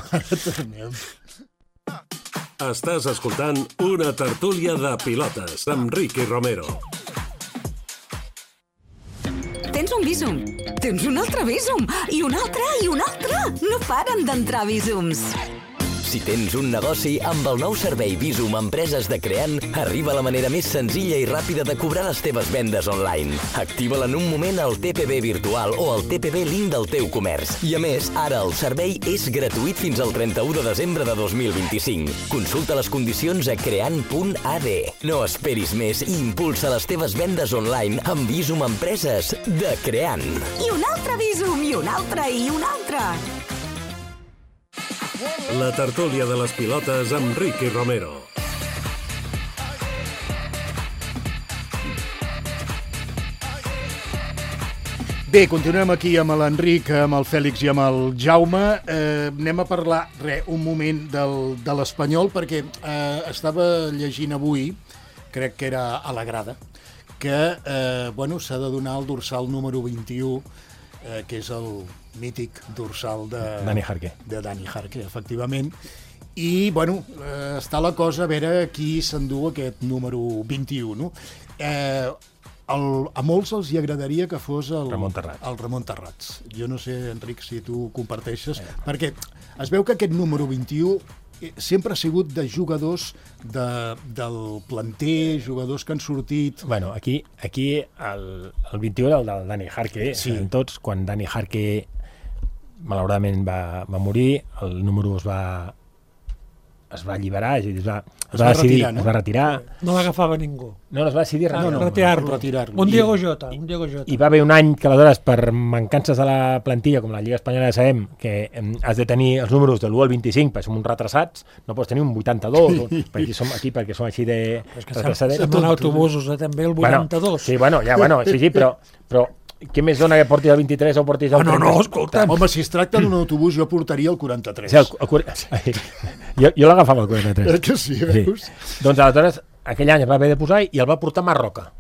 Estàs escoltant una tertúlia de pilotes amb Ricky Romero. Tens un Bizum, tens un altre Bizum, i un altre, i un altre. No paren d'entrar Bizums. Si tens un negoci, amb el nou servei Bizum Empreses de Creant, arriba la manera més senzilla i ràpida de cobrar les teves vendes online. Activa-la en un moment al TPB virtual o al TPB link del teu comerç. I a més, ara el servei és gratuït fins al 31 de desembre de 2025. Consulta les condicions a creant.ad. No esperis més i impulsa les teves vendes online amb Bizum Empreses de Creant. I un altre Bizum, i un altre, i un altre. La tertúlia de les pilotes amb Ricky Romero. Bé, continuem aquí amb l'Enric, amb el Fèlix i amb el Jaume. Anem a parlar un moment de l'Espanyol, perquè estava llegint avui, crec que era a la grada, que s'ha de donar el dorsal número 21, que és el mític dorsal de Dani Jarque, efectivament. I, està la cosa a veure qui s'endú aquest número 21, no? A molts els hi agradaria que fos el Ramon Terrats. Jo no sé, Enric, si tu comparteixes, perquè es veu que aquest número 21 sempre ha sigut de jugadors del planter, jugadors que han sortit... Bueno, aquí el 21 era el del Dani Jarque, en tots, quan Dani Jarque malauradament va morir, el número es va alliberar, es va retirar. No l'agafava ningú. No es va decidir retirar-lo. Un Diego Jota. I va haver un any que aleshores, per mancances de la plantilla, com la Lliga Espanyola ja sabem, que has de tenir els números de l'1 al 25, perquè som uns retrasats, no pots tenir un 82, perquè som així de retrasats. Som en autobusos, també, el 82. Sí, però què més dona que portis el 23 o portis el 30? No, escolta. Home, si es tracta d'un autobús, jo portaria el 43. Jo l'agafava el 43. Que sí, veus? Doncs aleshores, aquell any es va haver de posar i el va portar Marroca.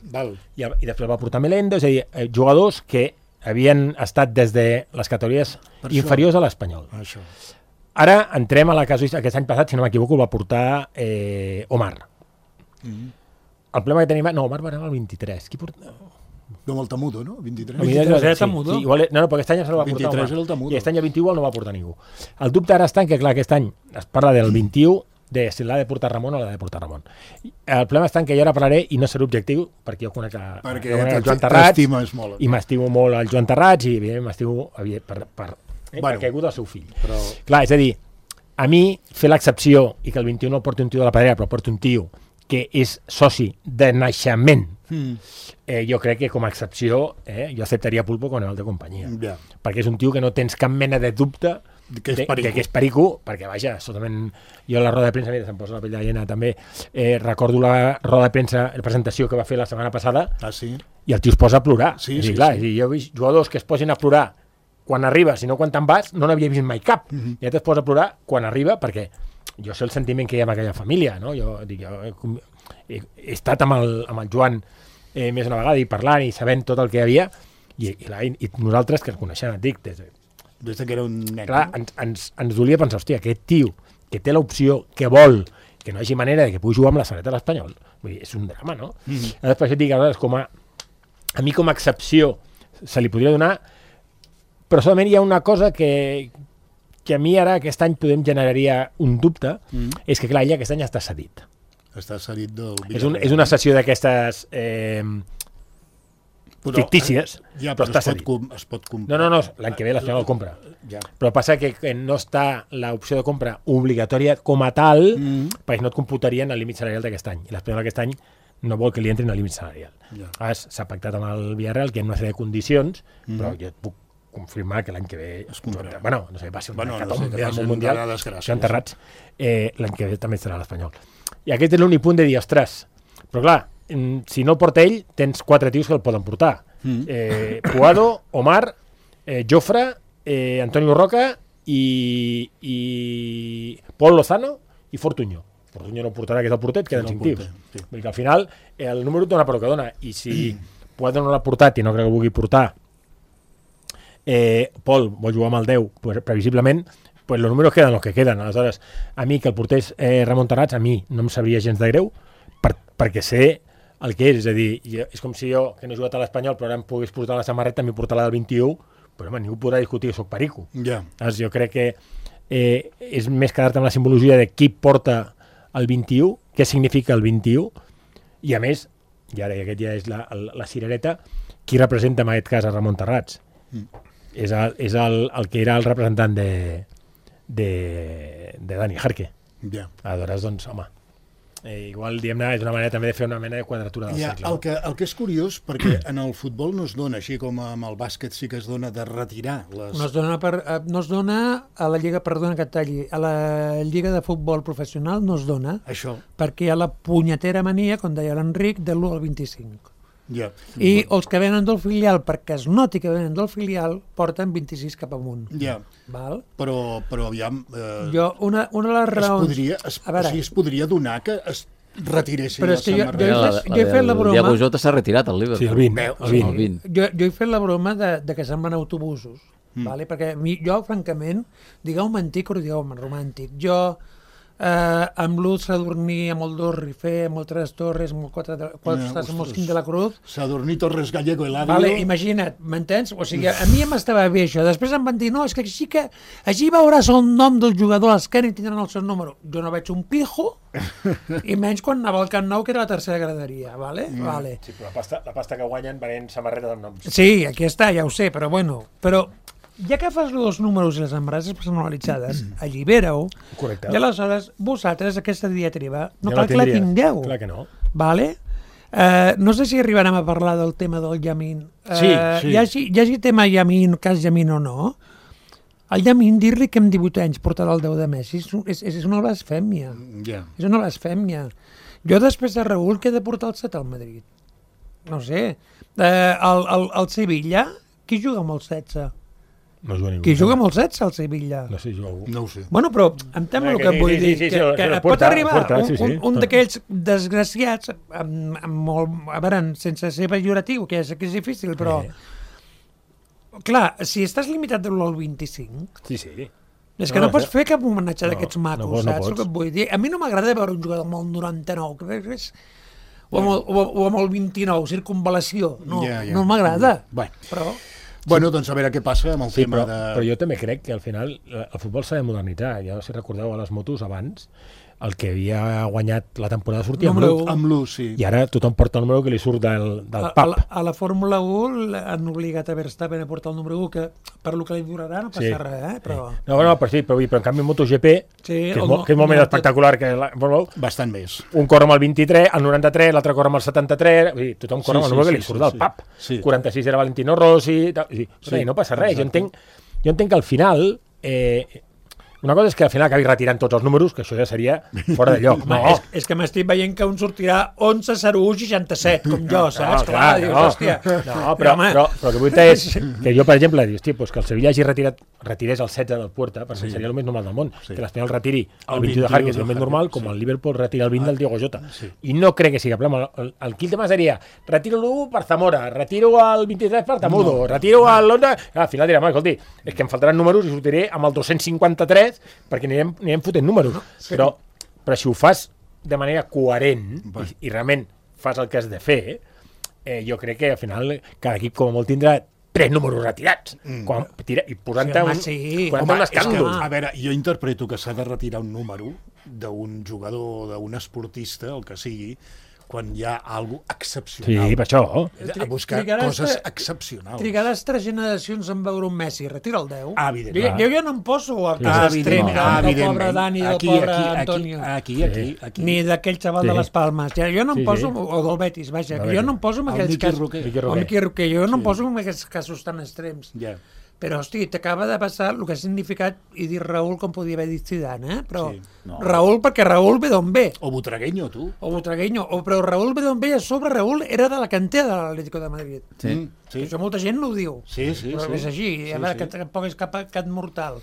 Val. I després va portar Melendo, és a dir, jugadors que havien estat des de les categories inferiors a l'Espanyol. Ara entrem a la casuística. Aquest any passat, si no m'equivoco, el va portar Omar. El problema que tenim... No, Omar va anar al 23. Qui porta... No, amb el Tamudo, no? 23. Era Tamudo? Sí, no, perquè aquest any ja se el va portar 23 era el Tamudo. I aquest any el 21 el no va portar ningú. El dubte ara està en que, clar, aquest any es parla del 21, de si l'ha de portar Ramon o l'ha de portar Ramon. El problema està en que jo ara parlaré i no seré objectiu, perquè jo conec el Joan Terrats i m'estimo molt el Joan Terrats i evidentment m'estimo perquè ha hagut el seu fill. Clar, és a dir, a mi fer l'excepció i que el 21 no porti un tio de la pedrera, però porti un tio que és soci de naixement jo crec que com a excepció jo acceptaria Pulpo con el de companyia. Perquè és un tio que no tens cap mena de dubte que és perico, perquè vaja, totalment... Jo a la roda de premsa, mira, se'm posa la pell de gallina també, recordo la roda de premsa, la presentació que va fer la setmana passada, i el tio es posa a plorar. Jo he vist jugadors que es posin a plorar quan arriba, si no quan te'n vas, no n'havia vist mai cap. I ja es posa a plorar quan arriba, perquè jo sé el sentiment que hi ha en aquella família, no? Jo he estat amb el Joan més una vegada i parlant i sabent tot el que hi havia, i nosaltres que el coneixem, et dic, des que era un nen. Clar, ens dolia pensar, hòstia, aquest tio que té l'opció, que vol, que no hi hagi manera de que pugui jugar amb la samarreta de l'Espanyol, vull dir, és un drama, no? Llavors, per això et dic, a mi com a excepció se li podria donar, però solament hi ha una cosa que a mi ara aquest any podem generaria un dubte, és que clar, ella aquest any està cedit. Està cedit del Villarreal. És una sessió d'aquestes fictícies, però està cedit. Es pot comprar. No, l'any que ve l'Espanyol el compra. Però passa que no està l'opció de compra obligatòria com a tal, perquè no et computarien el límit salarial d'aquest any. I l'Espanyol aquest any no vol que li entrin al límit salarial. S'ha pactat amb el Villarreal que hi ha una sèrie de condicions, però jo et puc confirmar que l'any que ve no sé, va ser un hecatombe del món mundial, s'han enterrats, l'any que ve també serà l'Espanyol. I aquest és l'únic punt de dir, ostres, però clar, si no el porta ell, tens 4 tios que el poden portar. Puado, Omar, Jofre, Antonio Roca i Pol Lozano i Fortuño. Fortuño no portarà, que és el portet, queden 5 tios. Vull dir que al final el número dona per el que dona, i si Puado no l'ha portat i no crec que vulgui portar, Pol vol jugar amb el 10, pues, previsiblement, pues los números queden los que queden. Aleshores, a mi que el portés Ramon Tarrats, a mi no em sabria gens de greu, perquè sé el que és a dir, és com si jo, que no he jugat a l'Espanyol, però ara em pogués portar la samarreta, m'hi portar la del 21, però home, ningú podrà discutir que soc perico. Jo crec que és més quedar-te amb la simbologia de qui porta el 21, què significa el 21, i a més, i ara aquest ja és la cirereta, qui representa en aquest cas a Ramon Tarrats? És el que era el representant de Dani Jarque. Aleshores, doncs, home, igual, diguem-ne, és una manera també de fer una mena de quadratura del cercle. El que és curiós, perquè en el futbol no es dona, així com amb el bàsquet sí que es dona, de retirar les... No es dona a la Lliga, perdona que et talli, a la Lliga de Futbol Professional no es dona, perquè hi ha la punyetera mania, com deia l'Enric, de l'1 al 25. I els que venen del filial, perquè es noti que venen del filial, porten 26 cap amunt. Però aviam... Una de les raons... Es podria donar que es retiressin les samarretes. Jo he fet la broma... El Diego Jota s'ha retirat al Liverpool. Sí, el 20. Jo he fet la broma de que se'n van autobusos, perquè jo, francament, digueu-me antic o digueu-me romàntic, jo... amb l'Uz Sadurní, amb el dos Rifé, amb el Tres Torres, amb el amb el Quim de la Cruz. Sadurní, Torres, Gallego i l'Àvilo. Vale, imagina't, m'entens? O sigui, a mi m'estava bé això. Després em van dir, no, és que així veuràs el nom del jugador a l'esquena i tindran el seu número. Jo no veig un pijo, i menys quan anava al Camp Nou, que era la tercera graderia, vale? Sí, però la pasta que guanyen venent samarretes amb noms. Sí, aquí està, ja ho sé, però bueno, ja que fas els números i les embrases personalitzades, allibera-ho, i aleshores vosaltres aquesta diatriba no cal que la tingueu. Clar que no. Vale? No sé si arribarem a parlar del tema del Yamin. Sí. Hi hagi tema Yamin, cas Yamin o no, el Yamin, dir-li que amb 18 anys portarà el 10 de Messi és una blasfèmia. És una blasfèmia. Jo després de Raúl que he de portar el 7 al Madrid. No sé. El Sevilla, qui juga amb el 16? No juga ningú. Qui juga amb el 16 al Sevilla? No sé, juga algú. No ho sé. Bueno, però entenc el que et vull dir. Que pot arribar un d'aquells desgraciats, a veure, sense ser pejoratiu, que és difícil, però... Clar, si estàs limitat de l'1 al 25... Sí. És que no pots fer cap homenatge d'aquests macos, saps el que et vull dir? A mi no m'agrada veure un jugador amb el 99, o amb el 29, circunvalació. No m'agrada. Però... Bueno, doncs a veure què passa amb el tema de... Però jo també crec que al final el futbol s'ha de modernitzar. Ja si recordeu a les motos abans, el que havia guanyat la temporada sortia amb Número l'1. Amb l'1, sí. I ara tothom porta el número que li surt del pap. A la Fórmula 1 han obligat a Verstappen a portar el número 1, que per lo que li durarà no passa res, però... No, però en canvi en MotoGP, que és molt més espectacular que la Fórmula 1, bastant més. Un corre amb el 23, el 93, l'altre corre amb el 73, vull dir, tothom corre amb el número que li surt del pap. 46 era Valentino Rossi, i no passa res. Jo entenc que al final... Una cosa és que al final acabi retirant tots els números, que això ja seria fora de lloc. No. És que m'estic veient que un sortirà 11, 01, 67, com jo, saps? Clar, dius, hòstia. No, però el que vull dir és que jo, per exemple, dius, pues que el Sevilla hagi retirés el 16 del Puerta, perquè seria el més normal del món. Que l'Espanyol retiri el 21 de Hart, que és el més normal, com el Liverpool retira el 20 del Diego Jota. I no crec que sigui problema. Aquí el tema seria, retiro l'1 per Zamora, retiro el 23 per Tamudo, retiro l'11... Al final dirà, escolti, és que em faltaran números i sortiré amb el 253 perquè anirem fotent números. Però si ho fas de manera coherent i realment fas el que has de fer, jo crec que al final cada equip com a molt tindrà 3 números retirats i posant-te un escàndol. A veure, jo interpreto que s'ha de retirar un número d'un jugador, d'un esportista, el que sigui, quan hi ha alguna cosa excepcional. Sí, per això. A buscar coses excepcionals. Trigaràs 3 generacions en veure un Messi. Retira el 10. Evidentment. Jo ja no em poso a cas extrem del pobre Dani, del pobre Antonio. Aquí. Ni d'aquell xaval de les Palmes. Jo no em poso, o del Betis, vaja, jo no em poso en aquells casos. O Miqui Roquer. Jo no em poso en aquests casos tan extrems. Però, hosti, t'acaba de passar el que ha significat, i dir Raúl com podia haver dit Zidane, però Raúl, perquè Raúl ve d'on ve. O Butragueño, tu. Però Raúl ve d'on ve, a sobre Raúl era de la cantera de l'Atlético de Madrid. Sí. Això molta gent no ho diu. Sí. Però és així, a veure, que tampoc és cap mortal.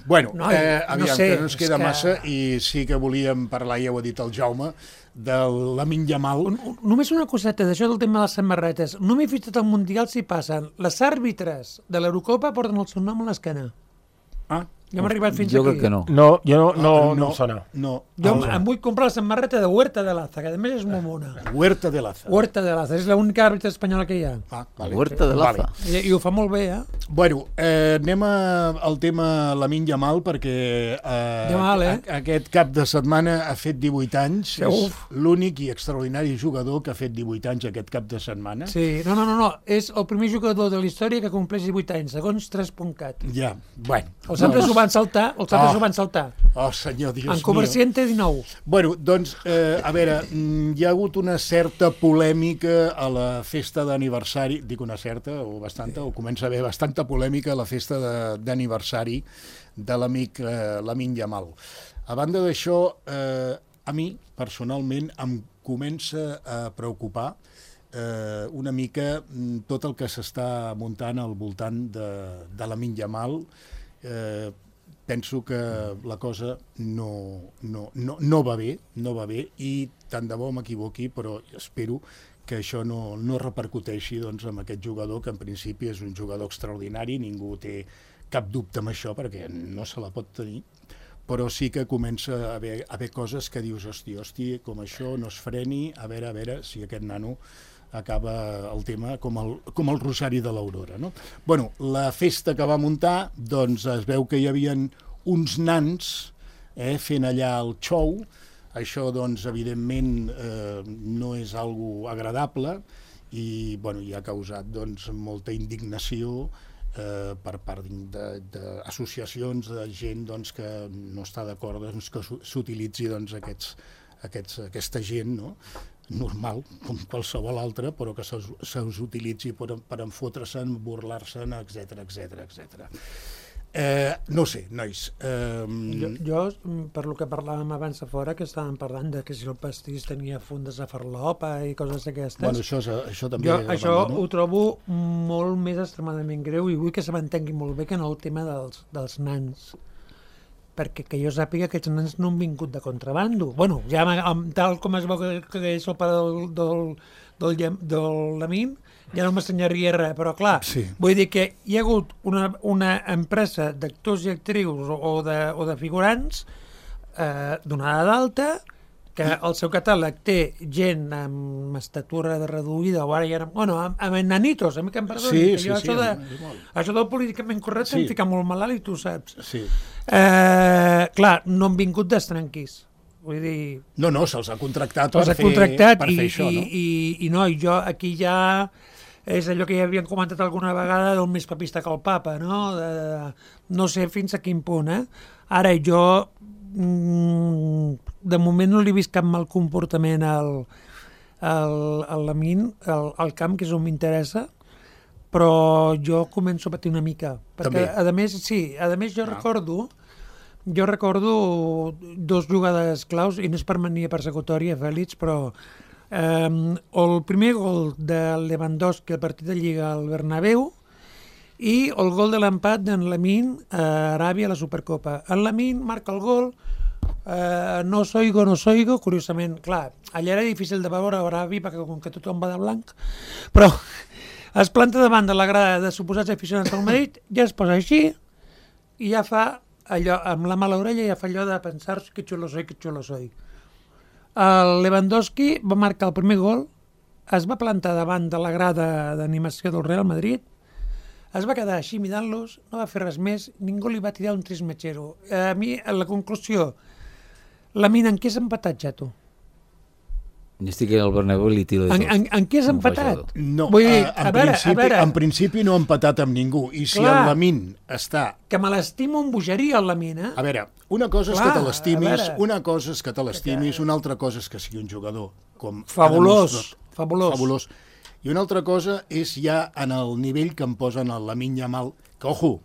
Bueno, aviam, que no ens queda massa, i sí que volíem parlar, ja ho ha dit el Jaume, de Lamine Yamal. Només una coseta d'això del tema de les samarretes. No m'he fixat al Mundial si passen. Les àrbitres de l'Eurocopa porten el seu nom a l'esquena. Ja m'ha arribat fins aquí. Jo crec que no. No em sona. Jo em vull comprar la samarreta de Huerta de Laza, que a més és molt mona. Huerta de Laza. És l'única àrbitra espanyola que hi ha. Huerta de Laza. I ho fa molt bé, Bueno, anem al tema Lamine Yamal, perquè aquest cap de setmana ha fet 18 anys. És l'únic i extraordinari jugador que ha fet 18 anys aquest cap de setmana. Sí, no. És el primer jugador de la història que compleix 18 anys, segons 3.cat. Ja, bueno. Els altres ho van saltar, Oh, senyor, Dios mío. En comerciante 19. Bueno, doncs, a veure, hi ha hagut una certa polèmica a la festa d'aniversari, dic una certa, o bastanta, o comença a haver bastanta polèmica a la festa d'aniversari de l'amic Lamine Yamal. A banda d'això, a mi, personalment, em comença a preocupar una mica tot el que s'està muntant al voltant de Lamine Yamal. Penso que la cosa no va bé i tant de bo m'equivoqui, però espero que això no repercuteixi amb aquest jugador, que en principi és un jugador extraordinari, ningú té cap dubte amb això perquè no se la pot tenir, però sí que comença a haver coses que dius, hosti, com això no es freni, a veure si aquest nano acaba el tema com el Rosari de l'Aurora, no? Bueno, la festa que va muntar, doncs es veu que hi havia uns nans fent allà el show. Això, doncs, evidentment, no és algo agradable i, bueno, hi ha causat, doncs, molta indignació per part d'associacions de gent, doncs, que no està d'acord que s'utilitzi, doncs, aquesta gent, no?, normal, com qualsevol altra, però que se'ls utilitzi per enfotre'se'n, burlar-se'n, etc. No sé, nois. Jo, per lo que parlàvem abans a fora, que estàvem parlant de que si el pastís tenia fundes de farlopa i coses d'aquestes... Bueno, això també... Jo això ho trobo molt més extremadament greu i vull que se m'entengui molt bé que no el tema dels nans. Perquè que jo sàpiga que aquests nens no han vingut de contrabando. Bueno, ja tal com es veu que és el pare del Lamine, ja no m'assenyaria res, però clar, vull dir que hi ha hagut una empresa d'actors i actrius o de figurants donada d'alta, que el seu catàleg té gent amb estatura reduïda, o ara ja... Bueno, amb nanitos, a mi que em perdoni. Sí. Això del políticament correcte em fica molt malalt i tu saps. Sí. Clar, no han vingut d'estranquis. Vull dir... No, se'ls ha contractat per fer això, no? I jo aquí ja és allò que ja havíem comentat alguna vegada del més papista que el papa, no? No sé fins a quin punt, Ara jo de moment no li he vist cap mal comportament al Lamine, al camp, que és on m'interessa, però jo començo a patir una mica. Perquè, a més jo recordo dos jugades claus, i no és per mania persecutòria, Fèlix, però el primer gol de Lewandowski al partit de Lliga al Bernabéu i el gol de l'empat d'en Lamine a Aràbia a la Supercopa. En Lamine marca el gol, no soigo, curiosament, clar, allà era difícil de veure a Aràbia perquè com que tothom va de blanc, però es planta davant de la grada de suposats aficionats del Madrid, ja es posa així i ja fa allò, amb la mà a l'orella ja fa allò de pensar que xulo soy. El Lewandowski va marcar el primer gol, es va plantar davant de la grada d'animació del Real Madrid, es va quedar així mirant-los, no va fer res més, ningú li va tirar un trismechero. A mi, a la conclusió, Lamine, en què has empatat ja, tu? Jo estic al Bernabéu i li tiro de tot. En què has empatat? No, vull dir, en principi no ha empatat amb ningú. I si el Lamine està... Que me l'estimo amb bogeria, el Lamine, A veure, una cosa és que te l'estimis, una altra cosa és que sigui un jugador com... Fabulós. I una altra cosa és ja en el nivell que em posen el Lamine Yamal, que, ojo,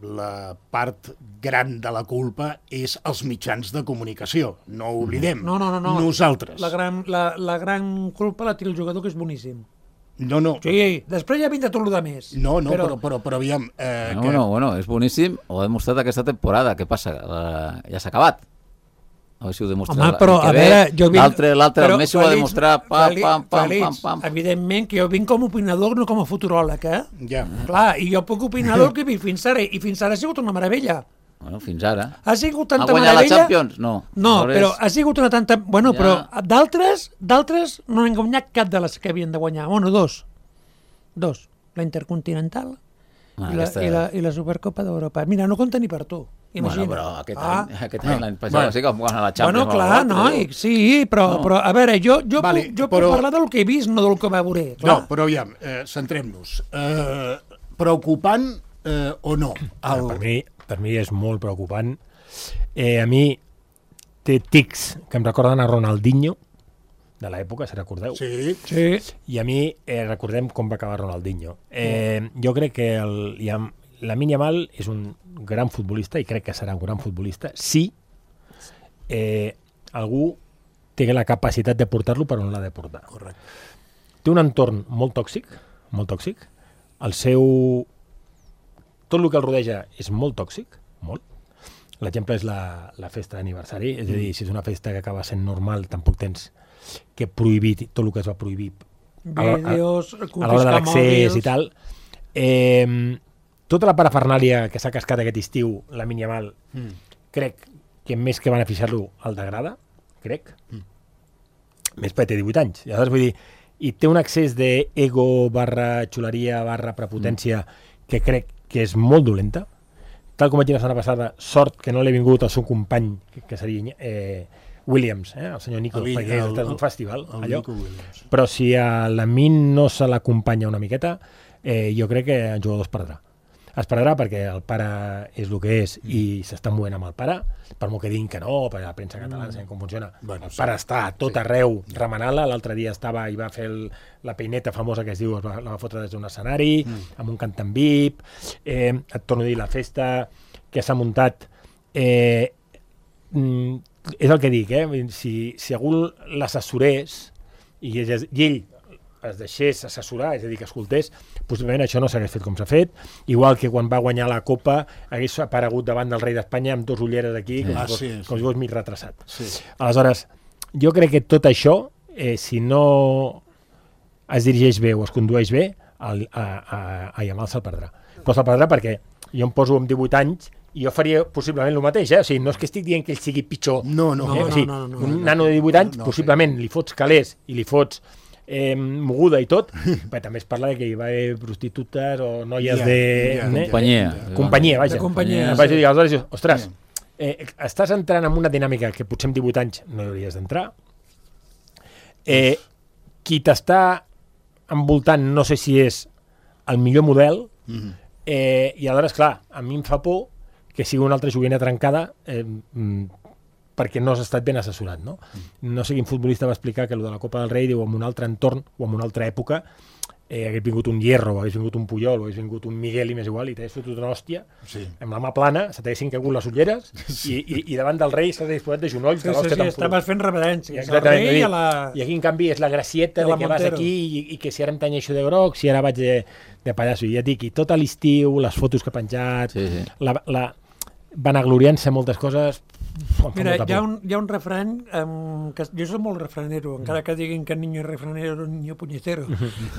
la part gran de la culpa és els mitjans de comunicació. No ho oblidem. No. Nosaltres. La gran culpa la tira el jugador, que és boníssim. No. Sí, després ja vindrà tot el de més. No, però aviam... Bueno, és boníssim, ho ha demostrat aquesta temporada. Què passa? Ja s'ha acabat. A veure si ho demostra. Home, però, a veure, jo vinc... L'altre, el Messi ho ha demostrat, pam. Evidentment que jo vinc com a opinador, no com a futuròleg, Ja. Clar, i jo puc opinar del que he vist fins ara, i fins ara ha sigut una meravella. Bueno, fins ara. Ha sigut tanta meravella... Ha guanyat la Champions? No, però ha sigut una tanta... Bueno, ja. Però d'altres no han guanyat cap de les que havien de guanyar. Bueno, dos. La Intercontinental i la Supercopa d'Europa. Mira, no compta ni per tu. Imagina. Bueno, però aquest any l'any passat sí que vam guanyar la Champions. Bueno, clar, però a veure, jo puc parlar del que he vist, no del que va veure. No, però aviam, centrem-nos. Preocupant o no? Per mi és molt preocupant. A mi té tics que em recorden a Ronaldinho, de l'època, si recordeu. Sí. I a mi recordem com va acabar Ronaldinho. Jo crec que Lamine Yamal és un gran futbolista i crec que serà un gran futbolista si algú té la capacitat de portar-lo per on l'ha de portar. Correcte. Té un entorn molt tòxic. Tot el que el rodeja és molt tòxic, molt. L'exemple és la festa d'aniversari, és a dir, si és una festa que acaba sent normal, tampoc tens que prohibir tot el que es va prohibir vídeos, a l'hora de l'accés i tal. Tota la parafernàlia que s'ha cascat aquest estiu, Lamine Yamal, crec que més que beneficiar-lo el degrada, crec. Més perquè té 18 anys. Llavors, vull dir, i té un excés d'ego / xuleria / prepotència que crec que és molt dolenta. Tal com vaig dir la setmana passada, sort que no l'he vingut al seu company, que seria Williams, el senyor Nico, perquè és un festival, allò. Però si a Lamine no se l'acompanya una miqueta, jo crec que el jugador es perdrà perquè el pare és el que és i s'està movent amb el pare, per molt que diguin que no, perquè la premsa catalana sabem com funciona. El pare està a tot arreu remenant-la, l'altre dia estava i va fer la peineta famosa que es diu, la va fotre des d'un escenari, amb un cantant VIP, et torno a dir, la festa que s'ha muntat, és el que dic, si algú l'assessorés i ell es deixés assessorar, és a dir, que escoltés, possiblement això no s'hagués fet com s'ha fet, igual que quan va guanyar la Copa hagués aparegut davant del rei d'Espanya amb 2 ulleres aquí, com si fos mig retrasat. Aleshores, jo crec que tot això, si no es dirigeix bé o es condueix bé, a Yamal se'l perdrà. Però se'l perdrà perquè jo em poso amb 18 anys i jo faria possiblement el mateix, O sigui, no és que estic dient que ell sigui pitjor. No. Un nano de 18 anys, possiblement li fots calés i li fots moguda i tot, però també es parla que hi va haver prostitutes o noies de... Companyia. Vaja. Aleshores, ostres, estàs entrant en una dinàmica que potser amb 18 anys no hauries d'entrar. Qui t'està envoltant no sé si és el millor model, i aleshores, clar, a mi em fa por que sigui una altra joguina trencada perquè no has estat ben assessorat, no? No sé quin futbolista va explicar que el de la Copa del Rei, diu, en un altre entorn o en una altra època, hagués vingut un Hierro, hagués vingut un Puyol, hagués vingut un Miguel i més igual, i t'hagués fotut una hòstia, amb la mà plana, se t'haguessin caigut les ulleres, i davant del rei se t'hagués posat de genolls. Sí, estaves fent reverències. I aquí, en canvi, és la gracieta de que vas aquí i que si ara em tanyeixo de groc, si ara vaig de pallasso. I ja et dic, i tot a l'estiu, les fotos que ha penjat, vanagloriant-se moltes coses. Mira, hi ha un refrany que jo soc molt refranero, encara que diguin que niño es refranero, niño puñetero,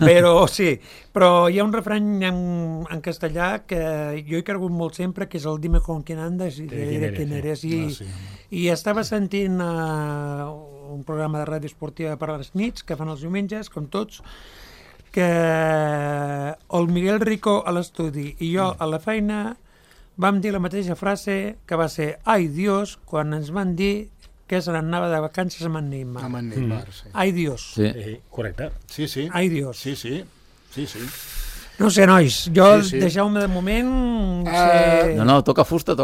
però sí, però hi ha un refrany en castellà que jo he cregut molt sempre, que és el dime con quién andas y de quién eres, i estava sentint un programa de ràdio esportiva per a les nits que fan els diumenges, com tots, que el Miguel Rico a l'estudi i jo a la feina vam dir la mateixa frase, que va ser ai Dios, quan ens van dir que se n'anava de vacances amb en Neymar. Amb en Neymar, sí. Ai Dios. Sí, correcte. Sí. Ai Dios. Sí. No sé, nois, deixeu-me de moment... No, toca fusta.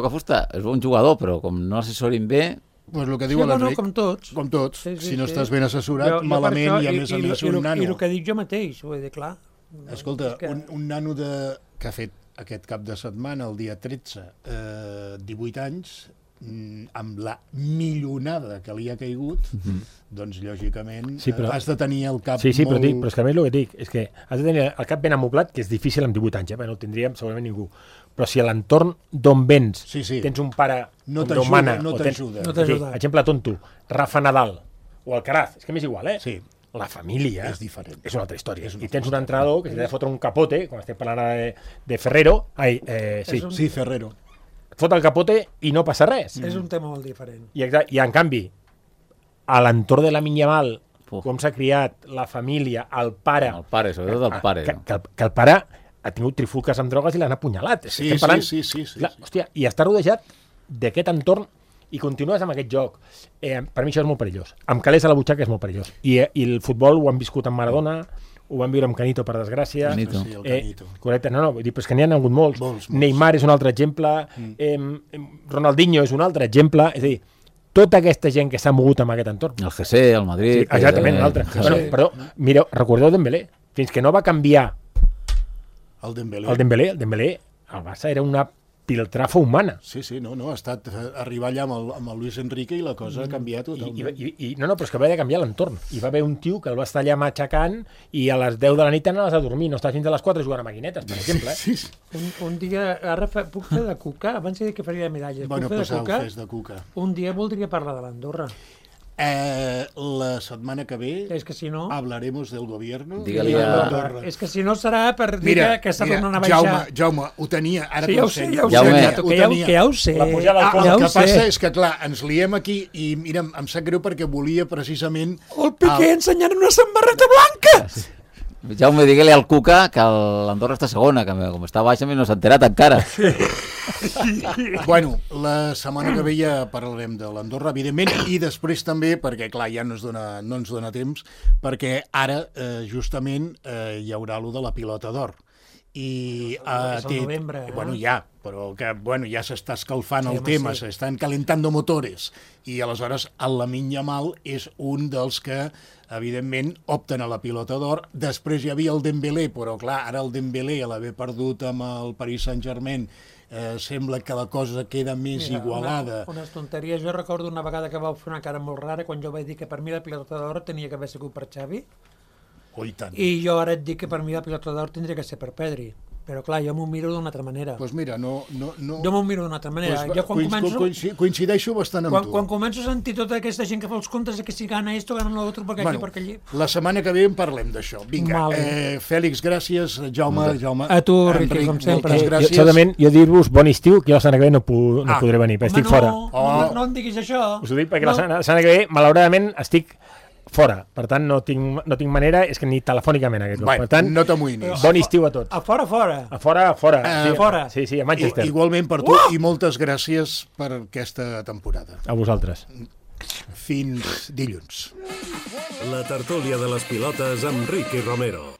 És bon jugador, però com no assessorin bé... Pues el que diu l'Enric. Com tots. Com tots. Si no estàs ben assessorat, malament, i a més un nano. I el que dic jo mateix, vull dir, clar. Escolta, un nano que ha fet aquest cap de setmana, el dia 13, 18 anys, amb la milionada que li ha caigut, doncs, lògicament, has de tenir el cap molt... Sí, però és que a més el que dic és que has de tenir el cap ben amoblat, que és difícil amb 18 anys, no ho tindríem segurament ningú. Però si a l'entorn d'on vens tens un pare no t'ajuda. Exemple tonto, Rafa Nadal o Alcaraz, és que m'és igual, Sí. La família és diferent. És una altra història. I tens un entrenador que s'ha de fotre un capote, com estem parlant de Ferrero. Sí, Ferrero. Et fot el capote i no passa res. És un tema molt diferent. I en canvi, a l'entorn de la Minyamal, com s'ha criat, la família, el pare... El pare, sobretot el pare. Que el pare ha tingut trifulques amb drogues i l'han apunyalat. Sí. Hòstia, i està rodejat d'aquest entorn i continues amb aquest joc. Per mi això és molt perillós. Amb calés a la butxaca és molt perillós. I el futbol ho han viscut amb Maradona, ho van viure amb Canito, per desgràcia. Canito. Correcte, vull dir, però és que n'hi ha hagut molts. Neymar és un altre exemple, Ronaldinho és un altre exemple, és a dir, tota aquesta gent que s'ha mogut amb aquest entorn. El GC, el Madrid... Sí, exactament, un altre. Però, mireu, recordeu Dembélé, fins que no va canviar el Dembélé, el Barça era una piltrafa humana. Sí, no, ha estat arribar allà amb el Luis Enrique i la cosa ha canviat totalment. No, però és que va haver de canviar l'entorn. Hi va haver un tio que el va estar allà matxacant i a les 10 de la nit anaves a dormir, no estàs fins a les 4 jugant a maquinetes, per exemple. Un dia, ara puc fer de cuca? Abans he dit que faria de medalles. Bueno, fes de cuca. Un dia voldria parlar de l'Andorra. La setmana que ve hablaremos del gobierno. És que si no serà per dir que s'ha tornat a baixar. Jaume, ho tenia, ara ja ho sé. El que passa és que, clar, ens liem aquí i, mira, em sap greu perquè volia precisament... El Piqué ensenyant una samarreta blanca! Jaume, digue-li al Cuca que l'Andorra està segona, que com està baixa no s'ha enterat encara. Bueno, la setmana que ve ja parlarem de l'Andorra, evidentment, i després també, perquè clar, ja no ens dona temps, perquè ara justament hi haurà allò de la pilota d'or. I és el novembre, bueno, però que ja s'està escalfant el tema, s'estan calentando motores, i aleshores el Lamine Yamal és un dels que evidentment opten a la pilota d'or. Després hi havia el Dembélé, però clar, ara el Dembélé, a l'haver perdut amb el Paris Saint-Germain, sembla que la cosa queda més igualada. Unes tonteries. Jo recordo una vegada que vau fer una cara molt rara quan jo vaig dir que per mi la pilota d'or tenia que haver sigut per Xavi. I jo ara et dic que per mi la pilota d'or tindria que ser per Pedri. Però clar, jo m'ho miro d'una altra manera. Doncs mira, no... Jo m'ho miro d'una altra manera. Coincideixo bastant amb tu. Quan començo a sentir tota aquesta gent que fa els comptes que si gana esto, gana l'altre, perquè aquí, perquè allí... La setmana que ve en parlem d'això. Vinga, Fèlix, gràcies. Jaume. A tu, Riqui, com sempre. Certament, jo dir-vos bon estiu, que la setmana que ve no podré venir, perquè estic fora. No em diguis això. Us ho dic perquè la setmana que ve, malauradament, estic fora. Per tant, no tinc manera, és que ni telefònicament aquest cop. Per tant, no t'amoïnis. Bon estiu a tots. A fora. A fora. Fora. Sí, a Manchester. Igualment per tu i moltes gràcies per aquesta temporada. A vosaltres. Fins dilluns. La tertúlia de les pilotes amb Ricky Romero.